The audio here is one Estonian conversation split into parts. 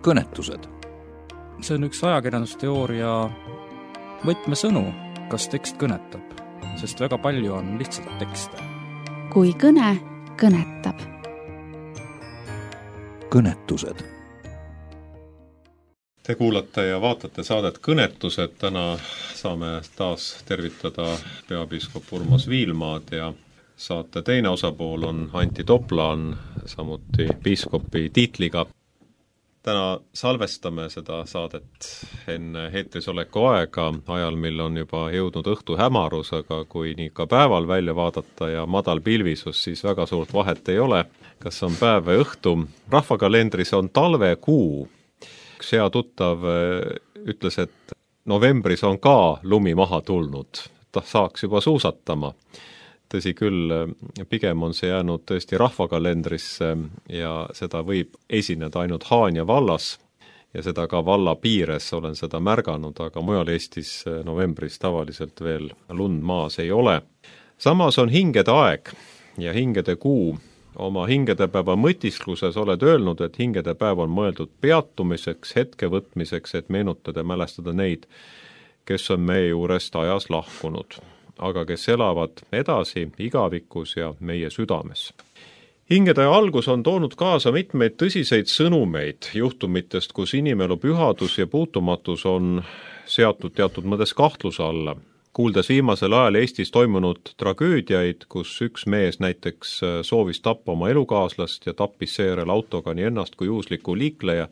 kõnetused. See on üks ajakirjandusteooria võtmesõnu, kas tekst kõnetab, sest väga palju on lihtsalt tekste. Kui kõne kõnetab. Kõnetused. Te kuulate ja vaatate saadet Kõnetused. Täna saame taas tervitada peapiiskop Urmas Viilmaad ja saate teine osapool on Antti Toplaan, samuti piiskopi tiitliga. Täna salvestame seda saadet enne eetris oleku aega, ajal, mil on juba jõudnud õhtu hämarus, aga kui nii ka päeval välja vaadata ja madal pilvisus, siis väga suurt vahet ei ole, kas on päev või õhtu. Rahvakalendris on talvekuu. Üks hea tuttav ütles, et novembris on ka lumi maha tulnud, ta saaks juba suusatama. Tõsi küll, pigem on see jäänud tõesti rahvakalendrisse ja seda võib esineda ainult Haanja vallas ja seda ka valla piires olen seda märganud, aga mujal Eestis novembris tavaliselt veel lund maas ei ole. Samas on hingede aeg ja hingede kuu. Oma hingedepäeva mõtiskluses oled öelnud, et hingedepäev on mõeldud peatumiseks, hetke võtmiseks, et meenutada ja mälestada neid, kes on meie juurest ajas lahkunud, aga kes elavad edasi igavikus ja meie südames. Hingede algus on toonud kaasa mitmeid tõsiseid sõnumeid juhtumitest, kus inimelu pühadus ja puutumatus on seatud teatud mõttes kahtluse alla. Kuuldes viimasel ajal Eestis toimunud tragöödiaid, kus üks mees näiteks soovis tappa oma elukaaslast ja tappis seejärel autoga nii ennast kui juhusliku liikleja,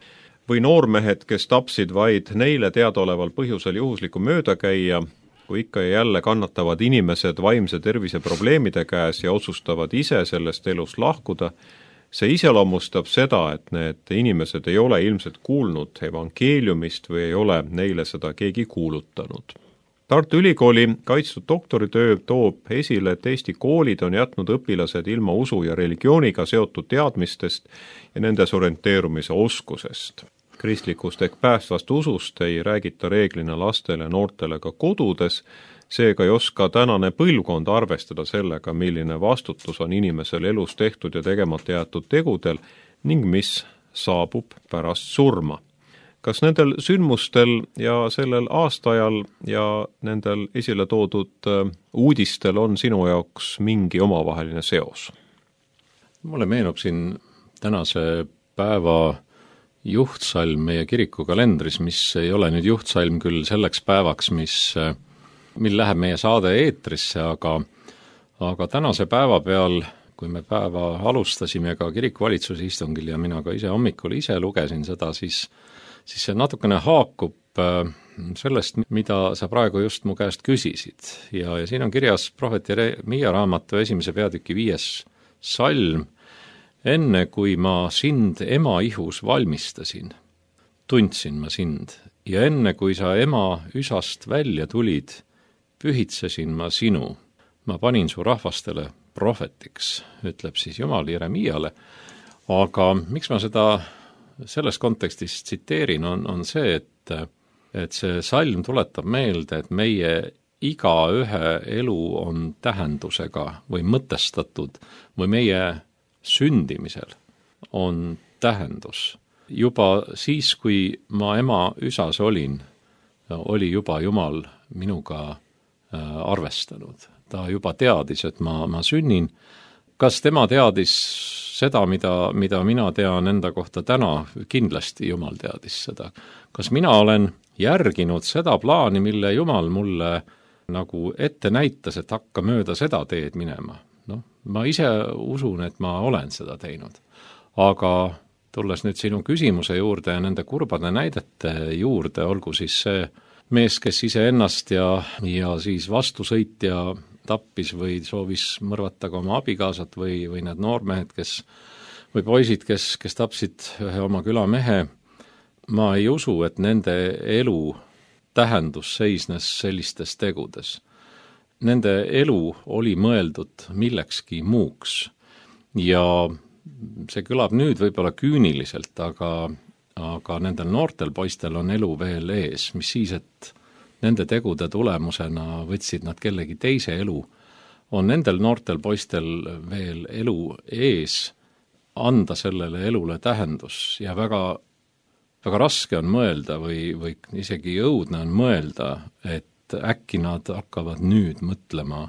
või noormehed, kes tapsid vaid neile teadaoleval põhjusel juhusliku möödakäija, kui ikka ja jälle kannatavad inimesed vaimse tervise probleemide käes ja otsustavad ise sellest elust lahkuda, see iseloomustab seda, et need inimesed ei ole ilmselt kuulnud evangeeliumist või ei ole neile seda keegi kuulutanud. Tartu Ülikooli kaitstud doktoritöö toob esile, et Eesti koolid on jätnud õpilased ilma usu ja religiooniga seotud teadmistest ja nendes orienteerumise oskusest. Kristlikust ehk päästvast usust ei räägita reeglina lastele ja noortele ka kodudes, seega ei oska tänane põlvkond arvestada sellega, milline vastutus on inimesel elus tehtud ja tegemata jäetud tegudel ning mis saabub pärast surma. Kas nendel sündmustel ja sellel aastaajal ja nendel esile toodud uudistel on sinu jaoks mingi omavaheline seos? Mulle meenub siin tänase päeva juhtsalm meie kirikukalendris, mis ei ole nüüd juhtsalm küll selleks päevaks, mil läheb meie saade eetrisse, aga tänase päeva peal, kui me päeva alustasime ka kirikuvalitsuse istungil ja mina ka ise hommikul lugesin seda, siis see natukene haakub sellest, mida sa praegu just mu käest küsisid. Ja siin on kirjas prohvet Jeremia raamatu 1. peatüki 5. salm. Enne kui ma sind ema ihus valmistasin, tundsin ma sind, ja enne kui sa ema üsast välja tulid, pühitsesin ma sinu. Ma panin su rahvastele prohvetiks, ütleb siis Jumal Jeremiale. Aga miks ma seda selles kontekstis tsiteerin, on see, et see salm tuletab meelde, et meie igaühe elu on tähendusega või mõtestatud või meie sündimisel on tähendus. Juba siis, kui ma ema üsas olin, oli juba Jumal minuga arvestanud. Ta juba teadis, et ma sünnin. Kas tema teadis seda, mida mina tean enda kohta täna? Kindlasti Jumal teadis seda. Kas mina olen järginud seda plaani, mille Jumal mulle nagu ette näitas, et hakka mööda seda teed minema? Ma ise usun, et ma olen seda teinud. Aga tulles nüüd sinu küsimuse juurde ja nende kurbade näidete juurde, olgu siis see mees, kes ise ennast ja siis vastusõitja tappis või soovis mõrvata ka oma abikaasat või need noormehed, või poisid, kes tapsid ühe oma külamehe, ma ei usu, et nende elu tähendus seisnes sellistes tegudes. Nende elu oli mõeldud millekski muuks ja see kõlab nüüd võib-olla küüniliselt, aga nendel noortel poistel on elu veel ees, mis siis, et nende tegude tulemusena võtsid nad kellegi teise elu, on nendel noortel poistel veel elu ees, anda sellele elule tähendus ja väga väga raske on mõelda või isegi õudne on mõelda, et äkki nad hakkavad nüüd mõtlema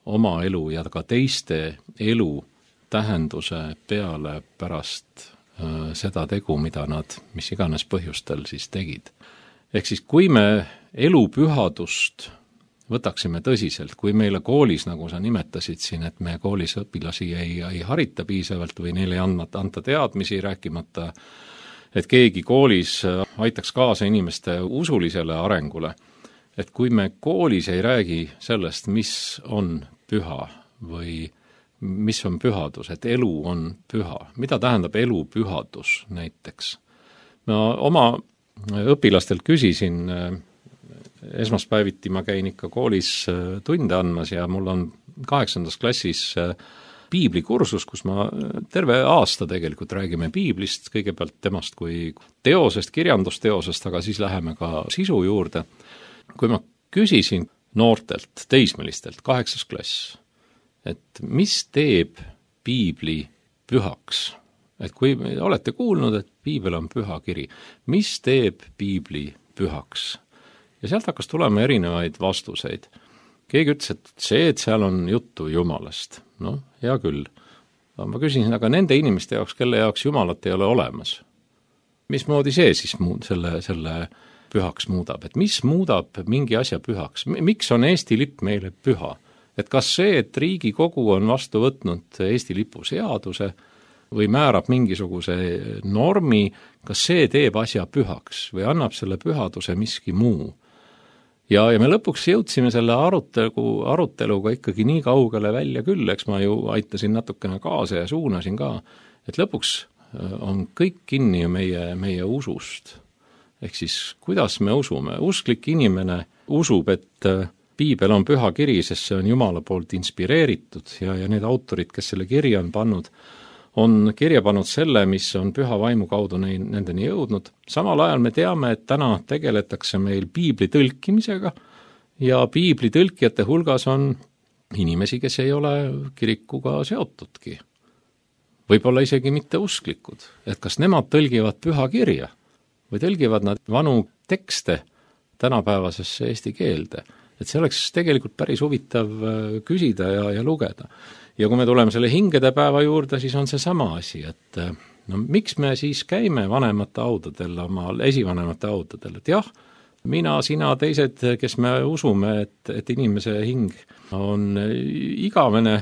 oma elu ja ka teiste elu tähenduse peale pärast seda tegu, mida nad mis iganes põhjustel siis tegid. Ehk siis, kui me elu pühadust võtaksime tõsiselt, kui meile koolis, nagu sa nimetasid siin, et me koolis õpilasi ei harita piisavalt või neile ei anta teadmisi, rääkimata, et keegi koolis aitaks kaasa inimeste usulisele arengule, et kui me koolis ei räägi sellest, mis on püha või mis on pühadus, et elu on püha, mida tähendab elu pühadus näiteks. Ma oma õpilastelt küsisin, esmaspäeviti ma käin ikka koolis tunde andmas ja mul on 8. klassis piiblikursus, kus ma terve aasta tegelikult räägime piiblist, kõigepealt temast kui teosest, kirjandusteosest, aga siis läheme ka sisu juurde. Kui ma küsisin noortelt, teismelistelt, 8. klass, et mis teeb piibli pühaks? Et kui olete kuulnud, et piibel on püha kiri, mis teeb piibli pühaks? Ja sealt hakkas tulema erinevaid vastuseid. Keegi ütles, et et seal on juttu Jumalast. No, hea küll. Ma küsisin, aga nende inimeste jaoks, kelle jaoks Jumalat ei ole olemas. Mismoodi see siis selle pühaks muudab? Et mis muudab mingi asja pühaks? Miks on Eesti lipp meile püha? Et kas see, et Riigikogu on vastu võtnud Eesti lipu seaduse või määrab mingisuguse normi, kas see teeb asja pühaks või annab selle pühaduse miski muu? Ja me lõpuks jõudsime selle aruteluga ikkagi nii kaugele välja küll, eks ma ju aitasin natukene kaasa ja suunasin ka, et lõpuks on kõik kinni meie usust. Ehk siis, kuidas me usume? Usklik inimene usub, et piibel on püha kiri, sest see on Jumala poolt inspireeritud ja need autorid, kes selle kirja on pannud, on kirja pannud selle, mis on püha vaimu kaudu nendeni jõudnud. Samal ajal me teame, et täna tegeletakse meil piibli tõlkimisega ja piibli tõlkijate hulgas on inimesi, kes ei ole kirikuga seotudki. Võib-olla isegi mitte usklikud. Et kas nemad tõlgivad püha kirja või tõlgivad nad vanu tekste tänapäevasesse eesti keelde? Et see oleks tegelikult päris huvitav küsida ja lugeda. Ja kui me tuleme selle hingede päeva juurde, siis on see sama asi, et miks me siis käime vanemate haudadel, oma esivanemate haudadel, et jah, mina, sina, teised, kes me usume, et inimese hing on igavene,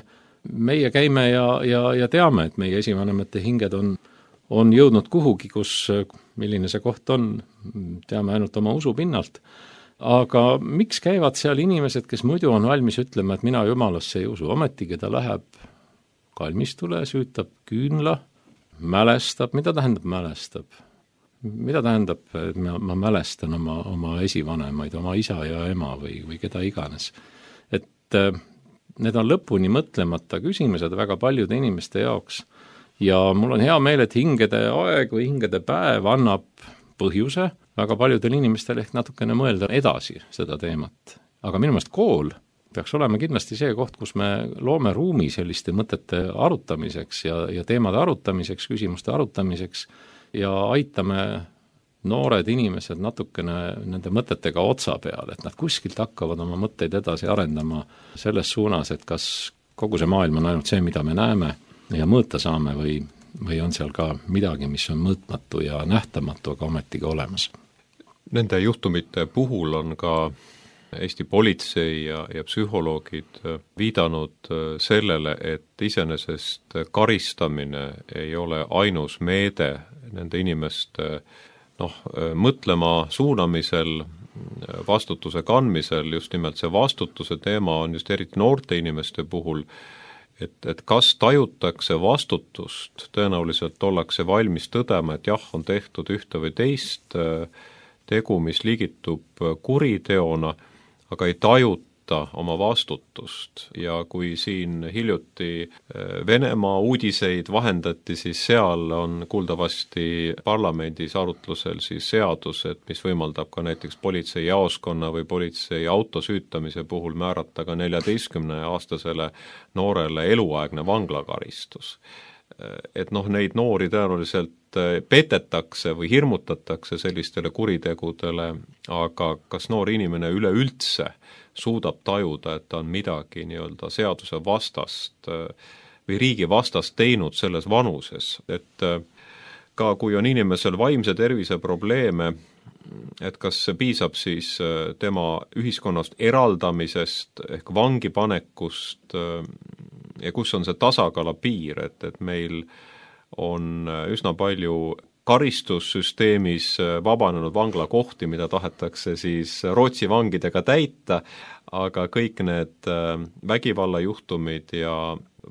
meie käime ja teame, et meie esivanemate hinged on jõudnud kuhugi, milline see koht on, teame ainult oma usu pinnalt. Aga miks käivad seal inimesed, kes muidu on valmis ütlema, et mina Jumalasse ei usu, ometigi ta läheb kalmistule, süütab küünla, mälestab, mida tähendab mälestab? Mida tähendab, et ma mälestan oma esivanemaid, oma isa ja ema või keda iganes? Et need on lõpuni mõtlemata küsimused väga paljude inimeste jaoks ja mul on hea meel, et hingede aeg või hingede päev annab põhjuse väga paljudel inimestel ehk natukene mõelda edasi seda teemat. Aga minu meelest kool peaks olema kindlasti see koht, kus me loome ruumi selliste mõtete arutamiseks ja teemade arutamiseks, küsimuste arutamiseks ja aitame noored inimesed natukene nende mõtetega otsa peal, et nad kuskilt hakkavad oma mõtteid edasi arendama selles suunas, et kas kogu see maailm on ainult see, mida me näeme ja mõõta saame või on seal ka midagi, mis on mõõtmatu ja nähtamatu, aga ometigi olemas. Nende juhtumite puhul on ka Eesti politsei ja psühholoogid viidanud sellele, et iseenesest karistamine ei ole ainus meede nende inimeste mõtlema suunamisel, vastutuse kandmisel, just nimelt see vastutuse teema on just eriti noorte inimeste puhul, et kas tajutakse vastutust, tõenäoliselt ollakse valmis tõdema, et jah, on tehtud ühte või teist tegu, mis ligitub kuriteona, aga ei tajuta oma vastutust ja kui siin hiljuti Venemaa uudiseid vahendati, siis seal on kuuldavasti parlamendis arutlusel siis seadused, mis võimaldab ka näiteks politseijaoskonna või politsei auto süütamise puhul määrata ka 14-aastasele noorele eluaegne vanglakaristus. et neid noori tõenäoliselt petetakse või hirmutatakse sellistele kuritegudele, aga kas noor inimene üleüldse suudab tajuda, et ta on midagi nii-öelda seaduse vastast või riigi vastast teinud selles vanuses, et ka kui on inimesel vaimse tervise probleeme, et kas piisab siis tema ühiskonnast eraldamisest ehk vangipanekust ja kus on see tasakala piir, et meil on üsna palju karistussüsteemis vabanenud vanglakohti, mida tahetakse siis Rootsi vangidega täita, aga kõik need vägivallajuhtumid ja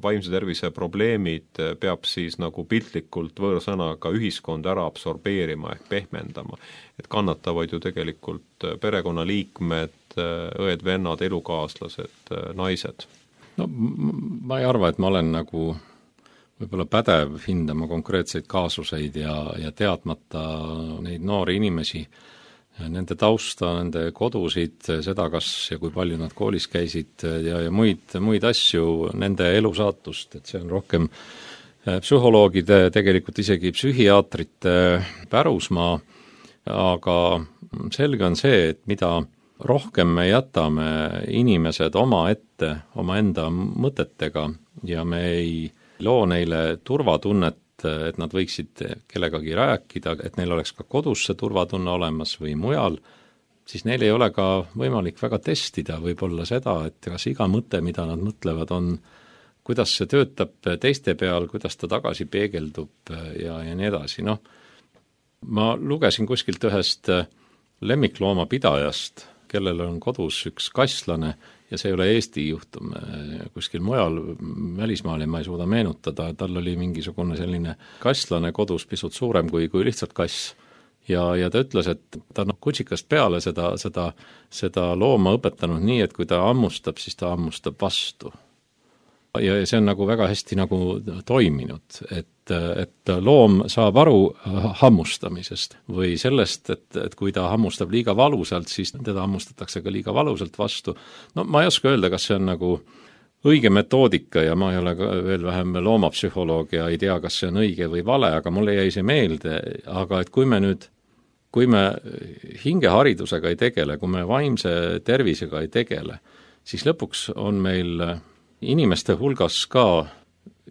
vaimse tervise probleemid peab siis nagu piltlikult võõrsõnaga ühiskond ära absorbeerima ehk pehmendama. Et kannatavad ju tegelikult perekonnaliikmed, õed, vennad, elukaaslased, naised. No ma ei arva, et ma olen nagu võib-olla pädev hindama konkreetseid kaasuseid ja teadmata neid noori inimesi, nende tausta, nende kodusid, seda, kas ja kui palju nad koolis käisid ja muid asju, nende elusaatust, et see on rohkem psühholoogide, tegelikult isegi psühhiaatrite pärusmaa, aga selge on see, et mida rohkem me jätame inimesed omaenda mõtetega ja me ei loo neile turvatunnet, et nad võiksid kellegagi rääkida, et neil oleks ka kodus see turvatunne olemas või mujal, siis neil ei ole ka võimalik väga testida võib-olla seda, et kas iga mõte, mida nad mõtlevad, on, kuidas see töötab teiste peal, kuidas ta tagasi peegeldub ja nii edasi. Ma lugesin kuskilt ühest lemmikloomapidajast, kellel on kodus üks kasslane, ja see ei ole Eesti juhtum, kuskil mujal välismaal ja ma ei suuda meenutada, tal oli mingisugune selline kasslane kodus pisut suurem kui lihtsalt kass. Ja ta ütles, et ta kutsikast peale seda looma õpetanud nii, et kui ta hammustab, siis ta hammustab vastu. Ja see on nagu väga hästi nagu toiminud, et loom saab aru hammustamisest või sellest, et kui ta hammustab liiga valusalt, siis teda hammustatakse ka liiga valusalt vastu. Ma ei oska öelda, kas see on nagu õige metoodika ja ma ei ole ka veel vähem loomapsühholoog ja ei tea, kas see on õige või vale, aga mulle jäi see meelde, aga et kui me hingeharidusega ei tegele, kui me vaimse tervisega ei tegele, siis lõpuks on meil inimeste hulgas ka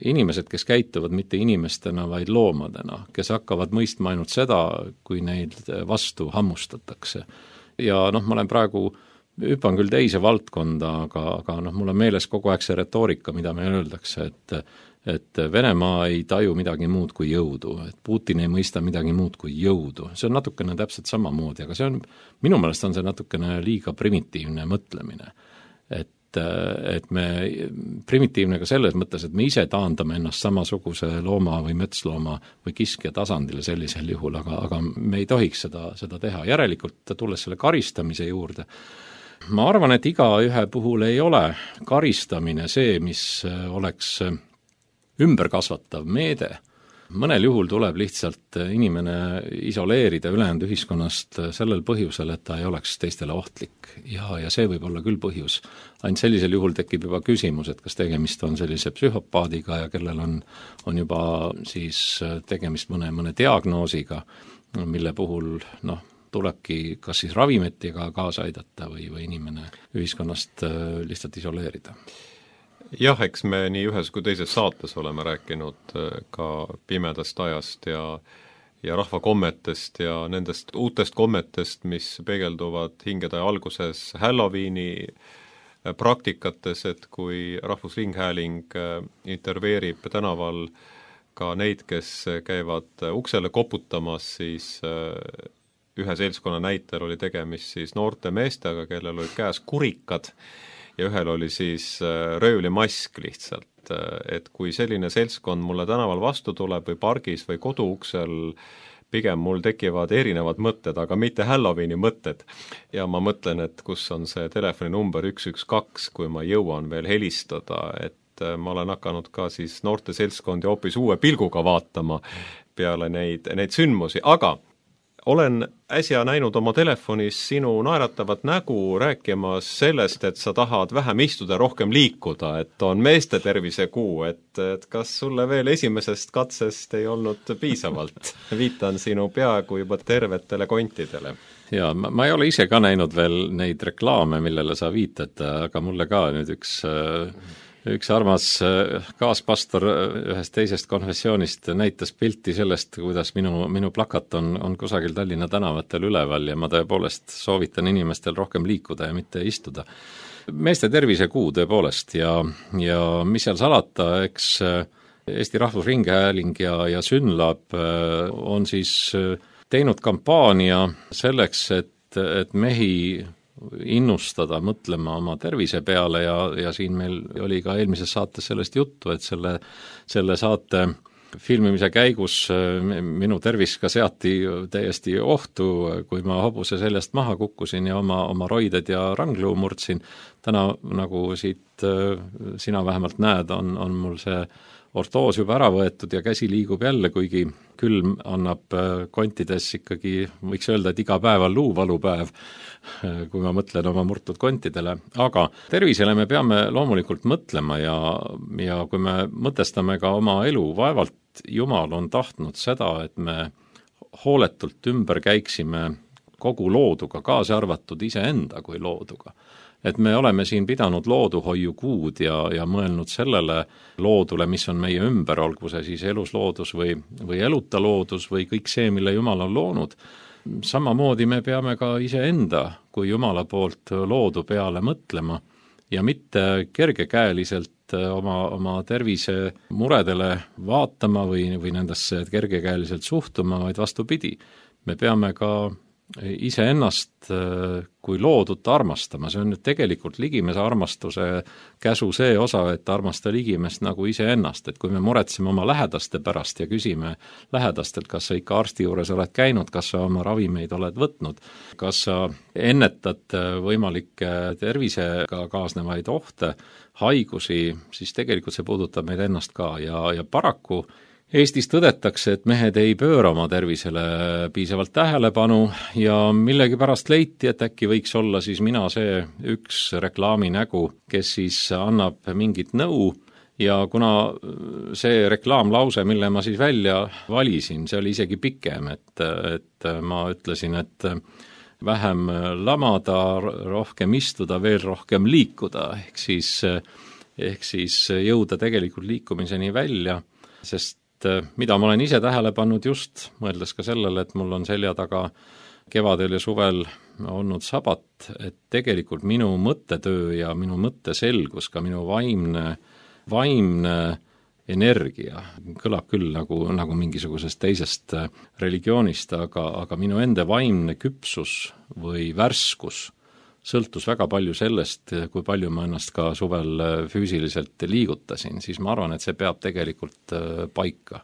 inimesed, kes käituvad mitte inimestena, vaid loomadena, kes hakkavad mõistma ainult seda, kui neid vastu hammustatakse. Ja ma olen praegu, hüppan küll teise valdkonda, aga mul on meeles kogu aeg see retoorika, mida me öeldakse, et Venemaa ei taju midagi muud kui jõudu, et Putin ei mõista midagi muud kui jõudu. See on natukene täpselt samamoodi, aga minu meelest on see natukene liiga primitiivne mõtlemine. Et me primitiivne ka selles mõttes, et me ise taandame ennast samasuguse looma või metslooma või kiskja tasandile sellisel juhul, aga me ei tohiks seda teha. Järelikult, tulles selle karistamise juurde, ma arvan, et igaühe puhul ei ole karistamine see, mis oleks ümberkasvatav meede. Mõnel juhul tuleb lihtsalt inimene isoleerida ülejäänud ühiskonnast sellel põhjusel, et ta ei oleks teistele ohtlik ja see võib olla küll põhjus. Ainult sellisel juhul tekib juba küsimus, et kas tegemist on sellise psühhopaadiga ja kellel on juba siis tegemist mõne diagnoosiga, mille puhul tulebki kas siis ravimetiga kaasa aidata või inimene ühiskonnast lihtsalt isoleerida. Jah, eks me nii ühes kui teises saates oleme rääkinud ka pimedast ajast ja rahvakommetest ja nendest uutest kommetest, mis peegelduvad hingede alguses Halloweeni praktikates, et kui Rahvusringhääling intervjueerib tänaval ka neid, kes käivad uksele koputamas, siis ühe seltskonna näitel oli tegemist siis noorte meestega, kellel olid käes kurikad, ja ühel oli siis röövlimask lihtsalt, et kui selline seltskond mulle tänaval vastu tuleb või pargis või koduuksel, pigem mul tekivad erinevad mõtted, aga mitte Halloweeni mõtted. Ja ma mõtlen, et kus on see telefoninumber 112, kui ma jõuan veel helistada, et ma olen hakanud ka siis noorte seltskondi hoopis uue pilguga vaatama peale neid sündmusi, aga olen äsja näinud oma telefonis sinu naeratavat nägu rääkimas sellest, et sa tahad vähem istuda, rohkem liikuda, et on meeste tervise kuu, et kas sulle veel esimesest katsest ei olnud piisavalt? Viitan sinu peaaegu juba tervetele kontidele. Jaa, ma ei ole ise ka näinud veel neid reklaame, millele sa viitad, aga mulle ka nüüd üks armas kaaspastor ühest teisest konfessioonist näitas pilti sellest, kuidas minu plakat on kusagil Tallinna tänavatel üleval ja ma tõepoolest soovitan inimestel rohkem liikuda ja mitte istuda. Meeste tervise kuu tõepoolest ja mis seal salata, eks Eesti Rahvusringhääling ja Synlab on siis teinud kampaania selleks, et mehi innustada mõtlema oma tervise peale ja siin meil oli ka eelmises saates sellest juttu, et selle saate filmimise käigus minu tervis ka seati täiesti ohtu, kui ma hobuse seljast maha kukkusin ja oma roided ja rangluu murdsin. Täna, nagu siit sina vähemalt näed, on mul see ortoos juba ära võetud ja käsi liigub jälle, kuigi külm annab kontides ikkagi, võiks öelda, et iga päev on luuvalupäev, kui ma mõtlen oma murtud kontidele. Aga tervisele me peame loomulikult mõtlema ja kui me mõtestame ka oma elu, vaevalt Jumal on tahtnud seda, et me hooletult ümber käiksime kogu looduga, kaasa arvatud iseenda kui looduga. Et me oleme siin pidanud looduhoiukuud ja mõelnud sellele loodule, mis on meie ümber, olgu see siis elusloodus või eluta loodus või kõik see, mille Jumal on loonud. Samamoodi me peame ka iseenda kui Jumala poolt loodu peale mõtlema ja mitte kergekäeliselt oma tervise muredele vaatama või nendesse kergekäeliselt suhtuma, vaid vastupidi. Me peame ka iseennast kui loodut armastama, see on nüüd tegelikult ligimese armastuse käsu see osa, et armasta ligimest nagu iseennast, et kui me muretseme oma lähedaste pärast ja küsime lähedastelt, kas sa ikka arsti juures oled käinud, kas sa oma ravimeid oled võtnud, kas sa ennetad võimalikke tervisega kaasnevaid ohte, haigusi, siis tegelikult see puudutab meid ennast ka ja paraku Eestis tõdetakse, et mehed ei pööra oma tervisele piisavalt tähelepanu ja millegipärast leiti, et äkki võiks olla siis mina see üks reklaaminägu, kes siis annab mingit nõu ja kuna see reklaamlause, mille ma siis välja valisin, see oli isegi pikem, et ma ütlesin, et vähem lamada, rohkem istuda, veel rohkem liikuda, ehk siis jõuda tegelikult liikumiseni välja, sest mida ma olen ise tähele pannud just, mõeldes ka sellele, et mul on selja taga kevadel ja suvel olnud sabat, et tegelikult minu mõttetöö ja minu mõtteselgus, ka minu vaimne energia, kõlab küll nagu mingisugusest teisest religioonist, aga minu enda vaimne küpsus või värskus sõltus väga palju sellest, kui palju ma ennast ka suvel füüsiliselt liigutasin, siis ma arvan, et see peab tegelikult paika.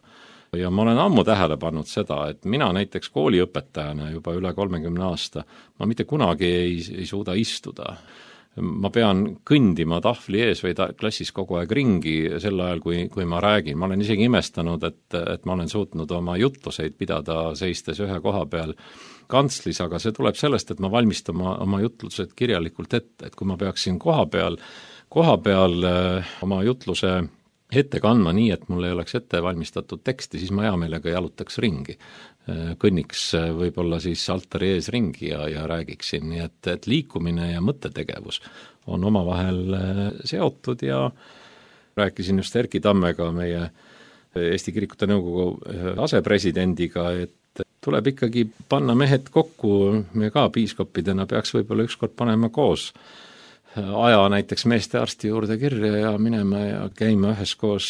Ja ma olen ammu tähele pannud seda, et mina näiteks kooliõpetajana juba üle 30 aasta, ma mitte kunagi ei suuda istuda. Ma pean kõndima tahvli ees või klassis kogu aeg ringi sel ajal, kui ma räägin. Ma olen isegi imestanud, et ma olen suutnud oma jutluseid pidada seistes ühe koha peal kantslis, aga see tuleb sellest, et ma valmistan oma jutlused kirjalikult ette, et kui ma peaksin koha peal oma jutluse ette kandma nii, et mul ei oleks ette valmistatud teksti, siis ma hea meelega jalutaks ringi. Kõnniks võib-olla siis altari ees ringi ja räägiksin, nii et liikumine ja mõttetegevus on omavahel seotud ja rääkisin just Erki Tammega, meie Eesti Kirikute Nõukogu asepresidendiga, et tuleb ikkagi panna mehed kokku, me ka piiskopidena peaks võib-olla ükskord panema koos aja näiteks meestearsti juurde kirja ja minema ja käima üheskoos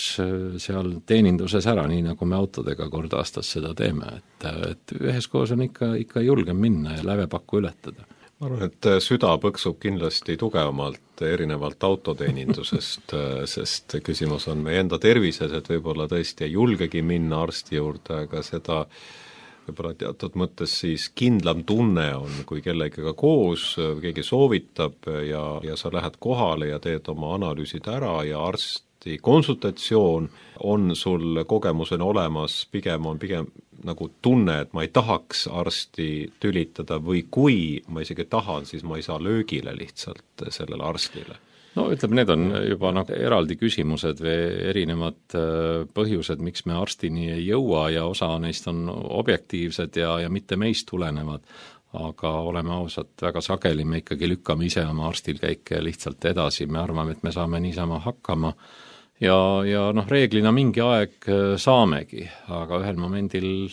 seal teeninduses ära, nii nagu me autodega kord aastas seda teeme, et üheskoos on ikka julgem minna ja lävepakku ületada. Ma arvan, et süda põksub kindlasti tugevamalt erinevalt autoteenindusest, sest küsimus on meie enda tervises, et võib-olla tõesti ei julgegi minna arsti juurde, aga seda võib-olla teatud mõttes siis kindlam tunne on, kui kellegagi koos, keegi soovitab ja sa lähed kohale ja teed oma analüüsid ära ja arst arsti konsultatsioon, on sul kogemusena olemas, pigem nagu tunne, et ma ei tahaks arsti tülitada või kui ma isegi tahan, siis ma ei saa löögile lihtsalt sellele arstile? No ütleme, need on juba nagu eraldi küsimused või erinevad põhjused, miks me arstini ei jõua ja osa neist on objektiivsed ja mitte meist tulenevad, aga oleme ausad, väga sageli me ikkagi lükkame ise oma arstil käike lihtsalt edasi, me arvame, et me saame niisama hakkama ja reeglina mingi aeg saamegi, aga ühel momendil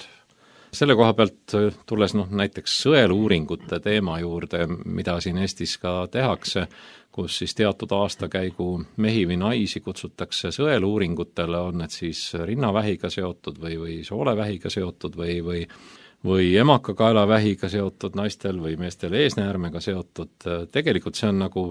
selle koha pealt tulles näiteks sõeluuringute teema juurde, mida siin Eestis ka tehakse, kus siis teatud aastakäigu mehi või naisi kutsutakse sõeluuringutele, on need siis rinnavähiga seotud või soolevähiga seotud või emakakaelavähiga seotud naistel või meestel eesnäärmega seotud. Tegelikult see on nagu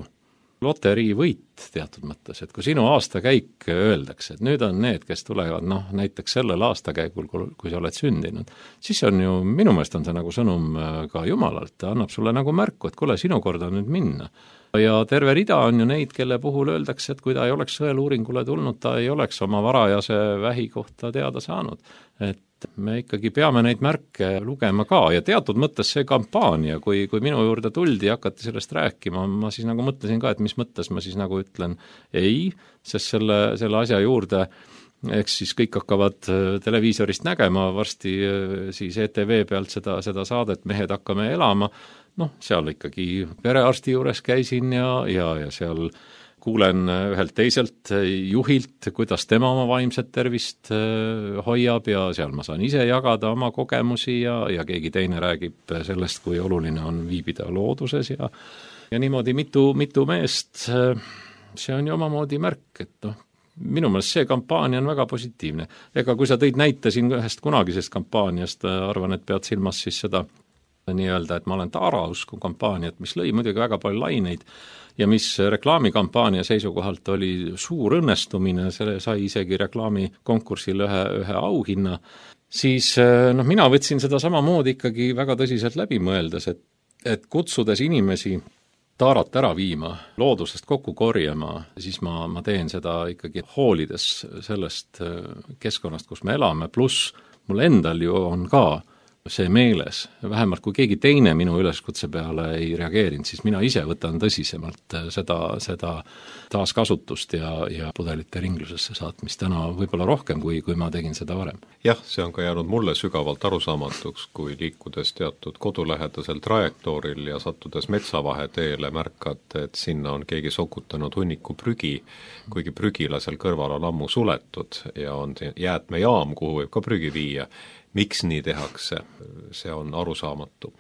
loteriivõit teatud mõttes, et kui sinu aastakäik öeldakse, et nüüd on need, kes tulevad näiteks sellel aastakäigul, kui sa oled sündinud, siis on ju, minu meelest on see nagu sõnum ka Jumalalt, ta annab sulle nagu märku, et kuule, sinu kord on nüüd minna. Ja terve rida on ju neid, kelle puhul öeldakse, et kui ta ei oleks sõeluuringule tulnud, ta ei oleks oma varajase vähi kohta teada saanud. Et me ikkagi peame neid märke lugema ka ja teatud mõttes see kampaania, kui minu juurde tuldi ja hakati sellest rääkima, ma siis nagu mõtlesin ka, et mis mõttes ma siis nagu ütlen ei, sest selle asja juurde eks siis kõik hakkavad televiisorist nägema, varsti siis ETV pealt seda saadet Mehed hakkame elama, seal ikkagi perearsti juures käisin ja seal kuulen ühelt teiselt juhilt, kuidas tema oma vaimset tervist hoiab ja seal ma saan ise jagada oma kogemusi ja keegi teine räägib sellest, kui oluline on viibida looduses ja niimoodi mitu meest, see on ju omamoodi märk, et minu meelest see kampaania on väga positiivne. Ega kui sa tõid näite siin ühest kunagisest kampaaniast, arvan, et pead silmas siis seda nii-öelda, et ma olen Taarausku kampaaniat, mis lõi muidugi väga palju laineid ja mis reklaamikampaania seisukohalt oli suur õnnestumine, selle sai isegi reklaamikonkursil ühe auhinna, siis mina võtsin seda samamoodi ikkagi väga tõsiselt läbi mõeldes, et kutsudes inimesi Taarat ära viima, loodusest kokku korjama, siis ma teen seda ikkagi hoolides sellest keskkonnast, kus me elame, pluss mul endal ju on ka see meeles, vähemalt kui keegi teine minu üleskutse peale ei reageerinud, siis mina ise võtan tõsisemalt seda taaskasutust ja pudelite ringlusesse saatmist täna võib-olla rohkem, kui ma tegin seda varem. Jah, see on ka jäänud mulle sügavalt arusaamatuks, kui liikudes teatud kodulähedasel trajektooril ja sattudes metsavaheteele märkad, et sinna on keegi sokutanud hunniku prügi, kuigi prügila seal kõrval on ammu suletud ja on jäätmejaam, kuhu võib ka prügi viia. Miks nii tehakse, see on arusaamatu.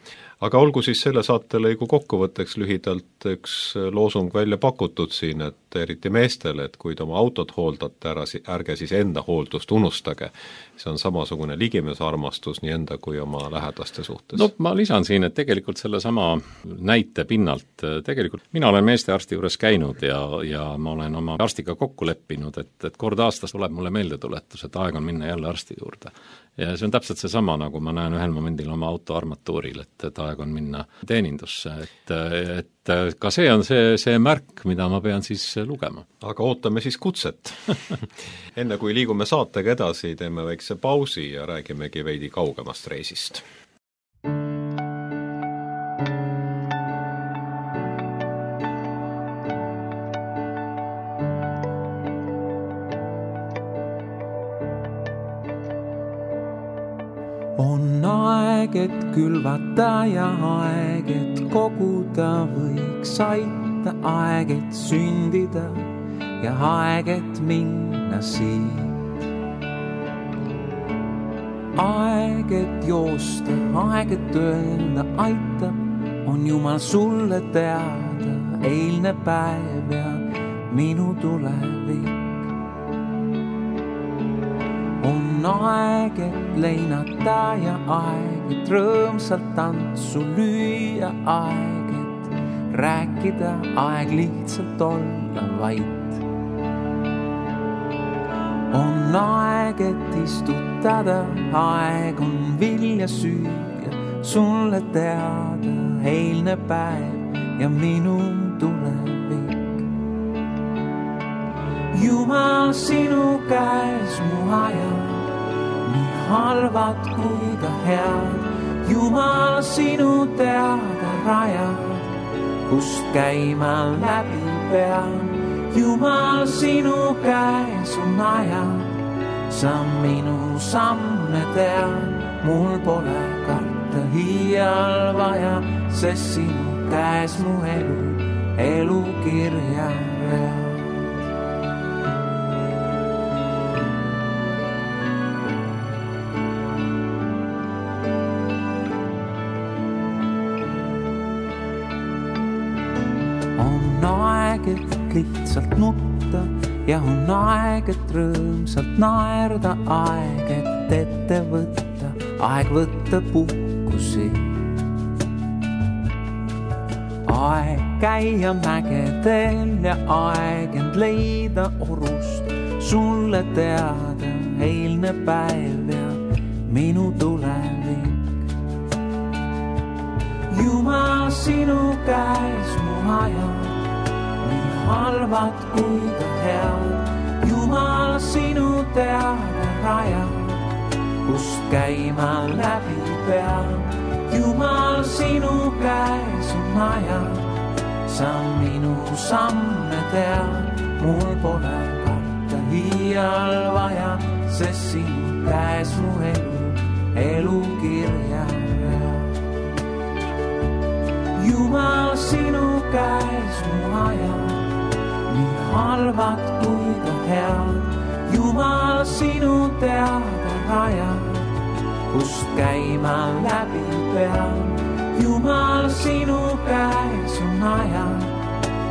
Aga olgu siis selle saatelõigu kokkuvõtteks lühidalt üks loosung välja pakutud siin, et eriti meestele, et kui te oma autot hooldate ära, ärge siis enda hooldust unustage. See on samasugune ligimesearmastus nii enda kui oma lähedaste suhtes. Ma lisan siin, et tegelikult selle sama näite pinnalt, tegelikult mina olen meestearsti juures käinud ja ma olen oma arstiga kokku leppinud, et kord aastas tuleb mulle meeldetuletus, et aeg on minna jälle arsti juurde. Ja see on täpselt see sama, nagu ma näen ühel momendil oma auto armatuuril, et aeg on minna teenindusse, et ka see on see märk, mida ma pean siis lugema. Aga ootame siis kutset. Enne kui liigume saatega edasi, teeme väikse pausi ja räägimegi veidi kaugemast reisist. On aeg, et külvata ja aeg, et koguda võiks aita, aeg, et sündida ja aeg, et minna siit. Aeg, et joosta, aeg, et öelda aitab, on Jumal sulle teada, eilne päev ja minu tulevik. On aeg, et leinata ja aeg, et rõõmsalt tantsu lüüa, aeg, et rääkida, aeg lihtsalt olla vait. On aeg, et istutada, aeg on vilja süüa, sulle teada, eilne päev ja minu tulevik. Jumal, sinu käes mu ajad, nii halvad kui ka head. Jumal, sinu teada rajad, kust käima läbi pean. Jumal, sinu käes on ajad, sa minu samme tead. Mul pole karta hiial vaja, sest sinu käes mu elu kirja read. On aeg, et lihtsalt nutta ja on aeg, et rõõmsalt naerda. Aeg, et ette võtta, aeg võtta puhkusi. Aeg käia mägedel ja aeg end leida orust. Sulle teada eilne päev ja minu tulevik. Jumal, sinu käes mu ajad, nii halvad kui ka head. Jumal, sinu teada rajad, kust käima läbi pean. Jumal, sinu käes on ajad, sa minu samme tead. Mul pole karta hiial vaja, sest sinu käes mu elu kirja read. Jumal, sinu käes mu ajad, nii halvad kui ka head. Jumal, sinu teada rajad, kust käima läbi pean. Jumal, sinu käes on ajad,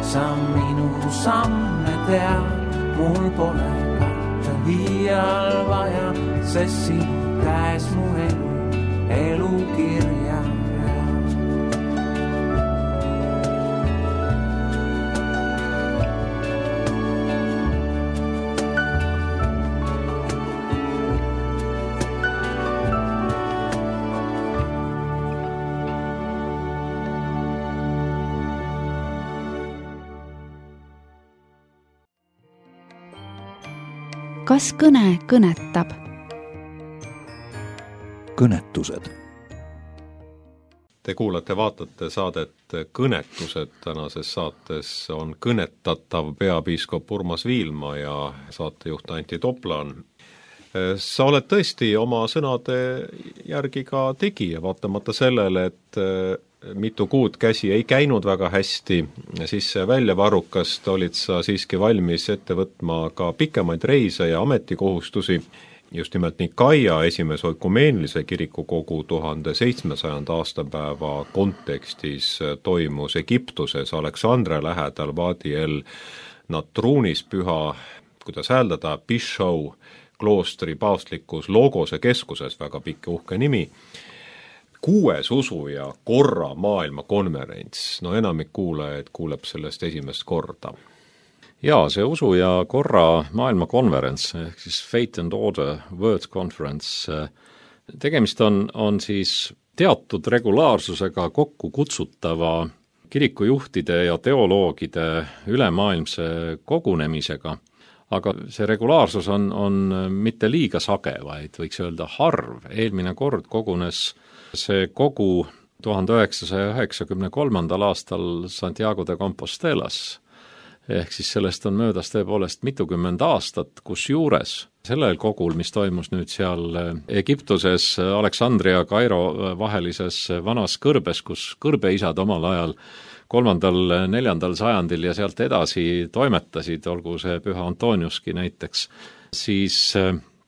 sa minu samme tead. Mul pole karta hiial vaja, sest sinu käes mu elu kirja read. Kas kõne kõnetab? Kõnetused. Te kuulate, vaatate saadet Kõnetused. Tänases saates on kõnetatav peapiiskop Urmas Viilma ja saatejuht Antti Toplan. Sa oled tõesti oma sõnade järgi ka tegija, vaatamata sellele, et mitu kuud käsi ei käinud väga hästi, siis välja varrukast olid sa siiski valmis ette võtma ka pikemaid reise ja ametikohustusi. Just nimelt Nikaia esimese oikumeenilise kirikukogu 1700. aastapäeva kontekstis toimus Egiptuses Aleksandria lähedal Wadi el Natrunis püha, kuidas hääldada, Bishou kloostri paavstlikus Logose keskuses, väga pikk uhke nimi, 6. usu ja korra maailmakonverents. No enamik kuulajaid kuuleb sellest esimest korda. Jaa, see usu ja korra maailmakonverents, ehk siis Faith and Order World Conference, tegemist on siis teatud regulaarsusega kokku kutsutava kirikujuhtide ja teoloogide ülemaailmse kogunemisega, aga see regulaarsus on mitte liiga sage, vaid võiks öelda harv. Eelmine kord kogunes see kogu 1993. aastal Santiago de Compostelas, ehk siis sellest on möödas tõepoolest mitukümmend aastat, kus juures sellel kogul, mis toimus nüüd seal Egiptuses Aleksandria ja Kairo vahelises vanas kõrbes, kus kõrbeisad omal ajal 3.–4. sajandil ja sealt edasi toimetasid, olgu see Püha Antoniuski näiteks, siis